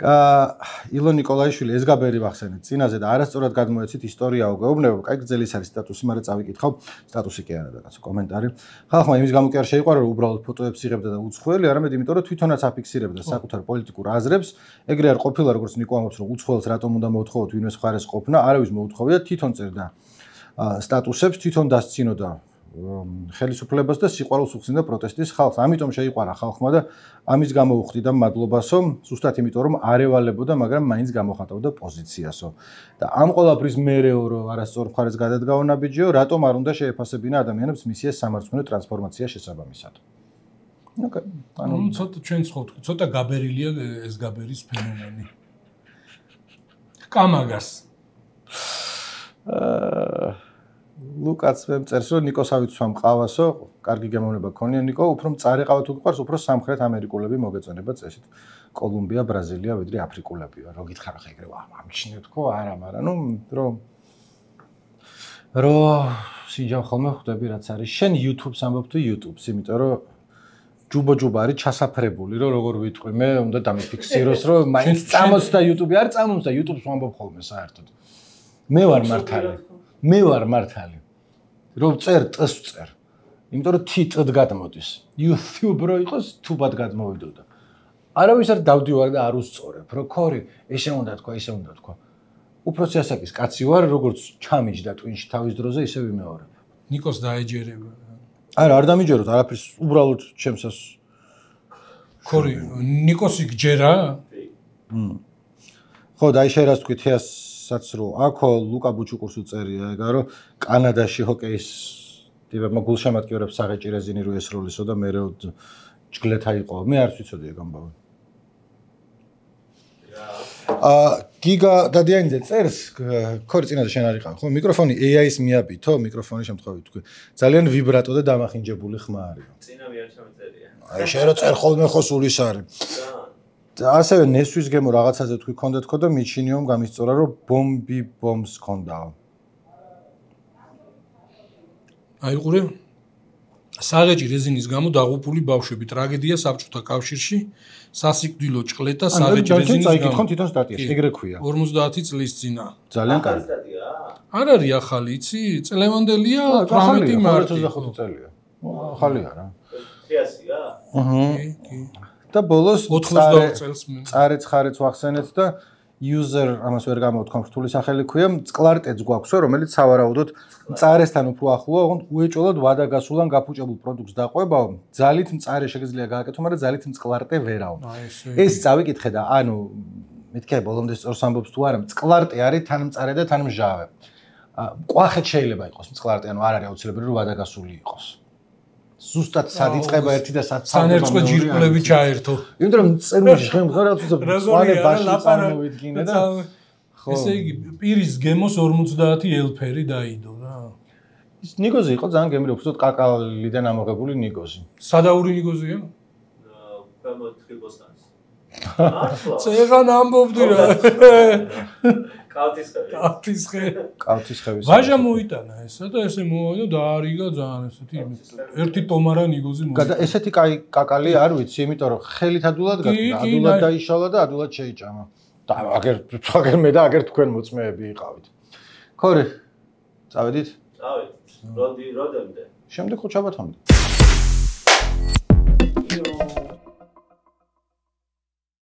აა ილონ ნიკოლაიშვილი ეს გაბერი ვახსენეთ წინაზე და არასწორად გადმოეცით ისტორიაო გეუბნება, კაი გრძელის არის სტატუსი, მაგრამ წავიკითხავ სტატუსი კი არა რაღაც კომენტარი. ხალხმა იმის გამო კი არ შეიყვარა რომ უბრალოდ ფოტოებს იღებდა და უცხოელი, არამედ იმიტომ რომ თვითონაც აფიქსირებდა საკუთარ პოლიტიკურ აზრებს. ეგრე არ ყოფილა როგორც ნიკო ამბობს რომ უცხოელს რატომ უნდა მოთხოვოთ ვინმეს მხარეს ყოფნა, არავის მოუთხოვია, თვითონ წერდა სტატუსებს, თვითონ დასცინოდა ხელისუფლებას და სიყვარულს უხსნიდა პროტესტის ხალხს. ამიტომ შეიყვარა ხალხმა და ამის გამო უხდიდა მადლობასო, ზუსტად იმიტომ რომ არ ევალებოდა, მაგრამ მაინც გამოხატავდა პოზიციასო. და ამ ყველაფრის მერეო რომ არასწორ მხარეს გადადგაო ნაბიჯიო, რატომ არ უნდა შეეფასებინა ადამიანებს მისიას სამართლიანი ტრანსფორმაცია შესაბამისად. ოკეი, ანუ ცოტა ჩვენ ხოვთ, ცოტა გაბერილია ეს გაბერის ფენომენი. კამაგას. აა ლუკ კაცს მე წერს რომ ნიკოსავით სვამ ყავასო, კარგი გემოვნება გქონია ნიკო, უფრო მწარე ყავა თუ გყავს, უფრო სამხრეთ ამერიკულები მოგეწონება წესით. კოლუმბია, ბრაზილია, ვიდრე აფრიკულებია. რო გითხარ ხა ეგრე ამჩნევ თქო, არა, მაგრამ ნუ რომ რო სიჯან ხოლმე ხვდები რაც არის. შენ YouTube-ს ამბობ თუ YouTube-ს, იმიტომ რომ ჯუბო-ჯუბო არის ჩასაფრებული, რომ როგორ ვიტყვი, მე უნდა დამიფიქსიროს, რომ მაინც წამოწდა YouTube-ი, არ წამოწდა YouTube-ს ვამბობ ხოლმე საერთოდ. მე ვარ მართალი. მე ვარ მართალი. რომ წერ ტს წერ. იმიტომ რომ თიტად გადმოდის. YouTube რო იყოს თუბად გადმოვიდოდა. არავის არ დავდივარ და არ უსწორებ, რომ ქორი, ესე უნდა თქვა, ესე უნდა თქვა. უფროსი ასაკის კაცი ვარ, როგორც ჩამიჯდა ტვინში თავის დროზე, ისე ვიმეორებ. ნიკოს დაეჯერება. არა, არ დამიჯეროთ, არაფერს უბრალოდ ჩემსას. ქორი, ნიკოსი გჯერა? მ. ხო, და აი შენ რას თქვი თეასაც რომ აქო ლუკა ბუჩუკურს უწერია, ეგა რომ კანადაში ჰოკეის ტიპებმა გულშემატკივრებს საღეჭი რეზინი რო ესროლისო და მე რო ჯგლეთა იყო. მე არ ვიცოდი ეგ ამბავი. აა გიგა დადიანიძე წერს ქორი წინაზე შენ არ იყავ ხო მიკროფონი ეი აის მიაბითო მიკროფონის შემთხვევით თქვი ძალიან ვიბრატო და დამახინჯებული ხმა არის წინა მე არ ჩამეწერია აი შენ რო წერ ხოლმე ხო სულის არის და ასევე ნესვის გემო რაღაცაზე თქვი ქონდა თქო და მიჩინიომ გამისწორა რომ ბომბი ბომბს ქონდაო აი ყურე საღეჭი რეზინის გამო დაღუპული ბავშვები ტრაგედია საბჭოთა კავშირში სასიკვდილო ჭყლეტა საღეჭი რეზინის გამო. აი კითხონ თვითონ სტატიაში, ეგრე ქვია. ორმოცდაათი წლის წინა. ძალიან კარგი. არ არის ახალი, იცი? წლევანდელია თვრამეტი მარტი. ოცდახუთი წელია. ახალია რა. თეასია? აჰა. და ბოლოს ოცდაოთხ წელს მე. წარეც ხარეც ვახსენეთ და user ამას ვერ გამოვთქვამ რთული სახელი ქვია, წყლარტეც გვაქვსო, რომელიც სავარაუდოდ მწარესთან უფრო ახლოა, ოღონდ უეჭოლოდ ვადაგასულან გაფუჭებულ პროდუქტს დაყვებაო, ძალით მწარე შეგიძლია გააკეთო, მაგრამ ძალით მწყლარტე ვერაო. ეს წავიკითხე და ანუ მეთქე ბოლომდე სწორს ამბობს თუ არა, მწყლარტე არის თან მწარე და თან მჟავე. ყვახეთ შეიძლება იყოს მწყლარტე, ანუ არ არის აუცილებელი რომ ვადაგასული იყოს. ზუსტად სად იწყება ერთი და სად სანერწყვე ჯირკვლები ჩაერთო. იმიტომ რომ წერმოში ხემ რაღაც ზღვანე ბაში წარმოვიდგინე და ხო. ესე იგი პირის გემოს ორმოცდაათი ელფერი დაიდო რა. ის ნიგოზი იყო ძალიან გემრი, უბრალოდ კაკალიდან ამოღებული ნიგოზი. სადაური ნიგოზია? ქვემოთ ხილბოსტანის. წეღან ამბობდი რა. კალთისხევი. კალთისხევი. კალთისხევის. ვაჟა მოიტანა ესა და ესე მოვიდა და დაარიგა ძალიან ესეთი ერთი ტომარა ნიგოზი მოიტანა. ესეთი კაი კაკალი არ ვიცი, იმიტომ რომ ხელით ადულად გაკდა, ადულად დაიშალა და ადულად შეიჭამა. და აგერ აგერ მე და აგერ თქვენ მოწმეები იყავით. ქორი. წავედით? წავედით. როდი როდემდე? შემდეგ ხო ჩაბათამდე.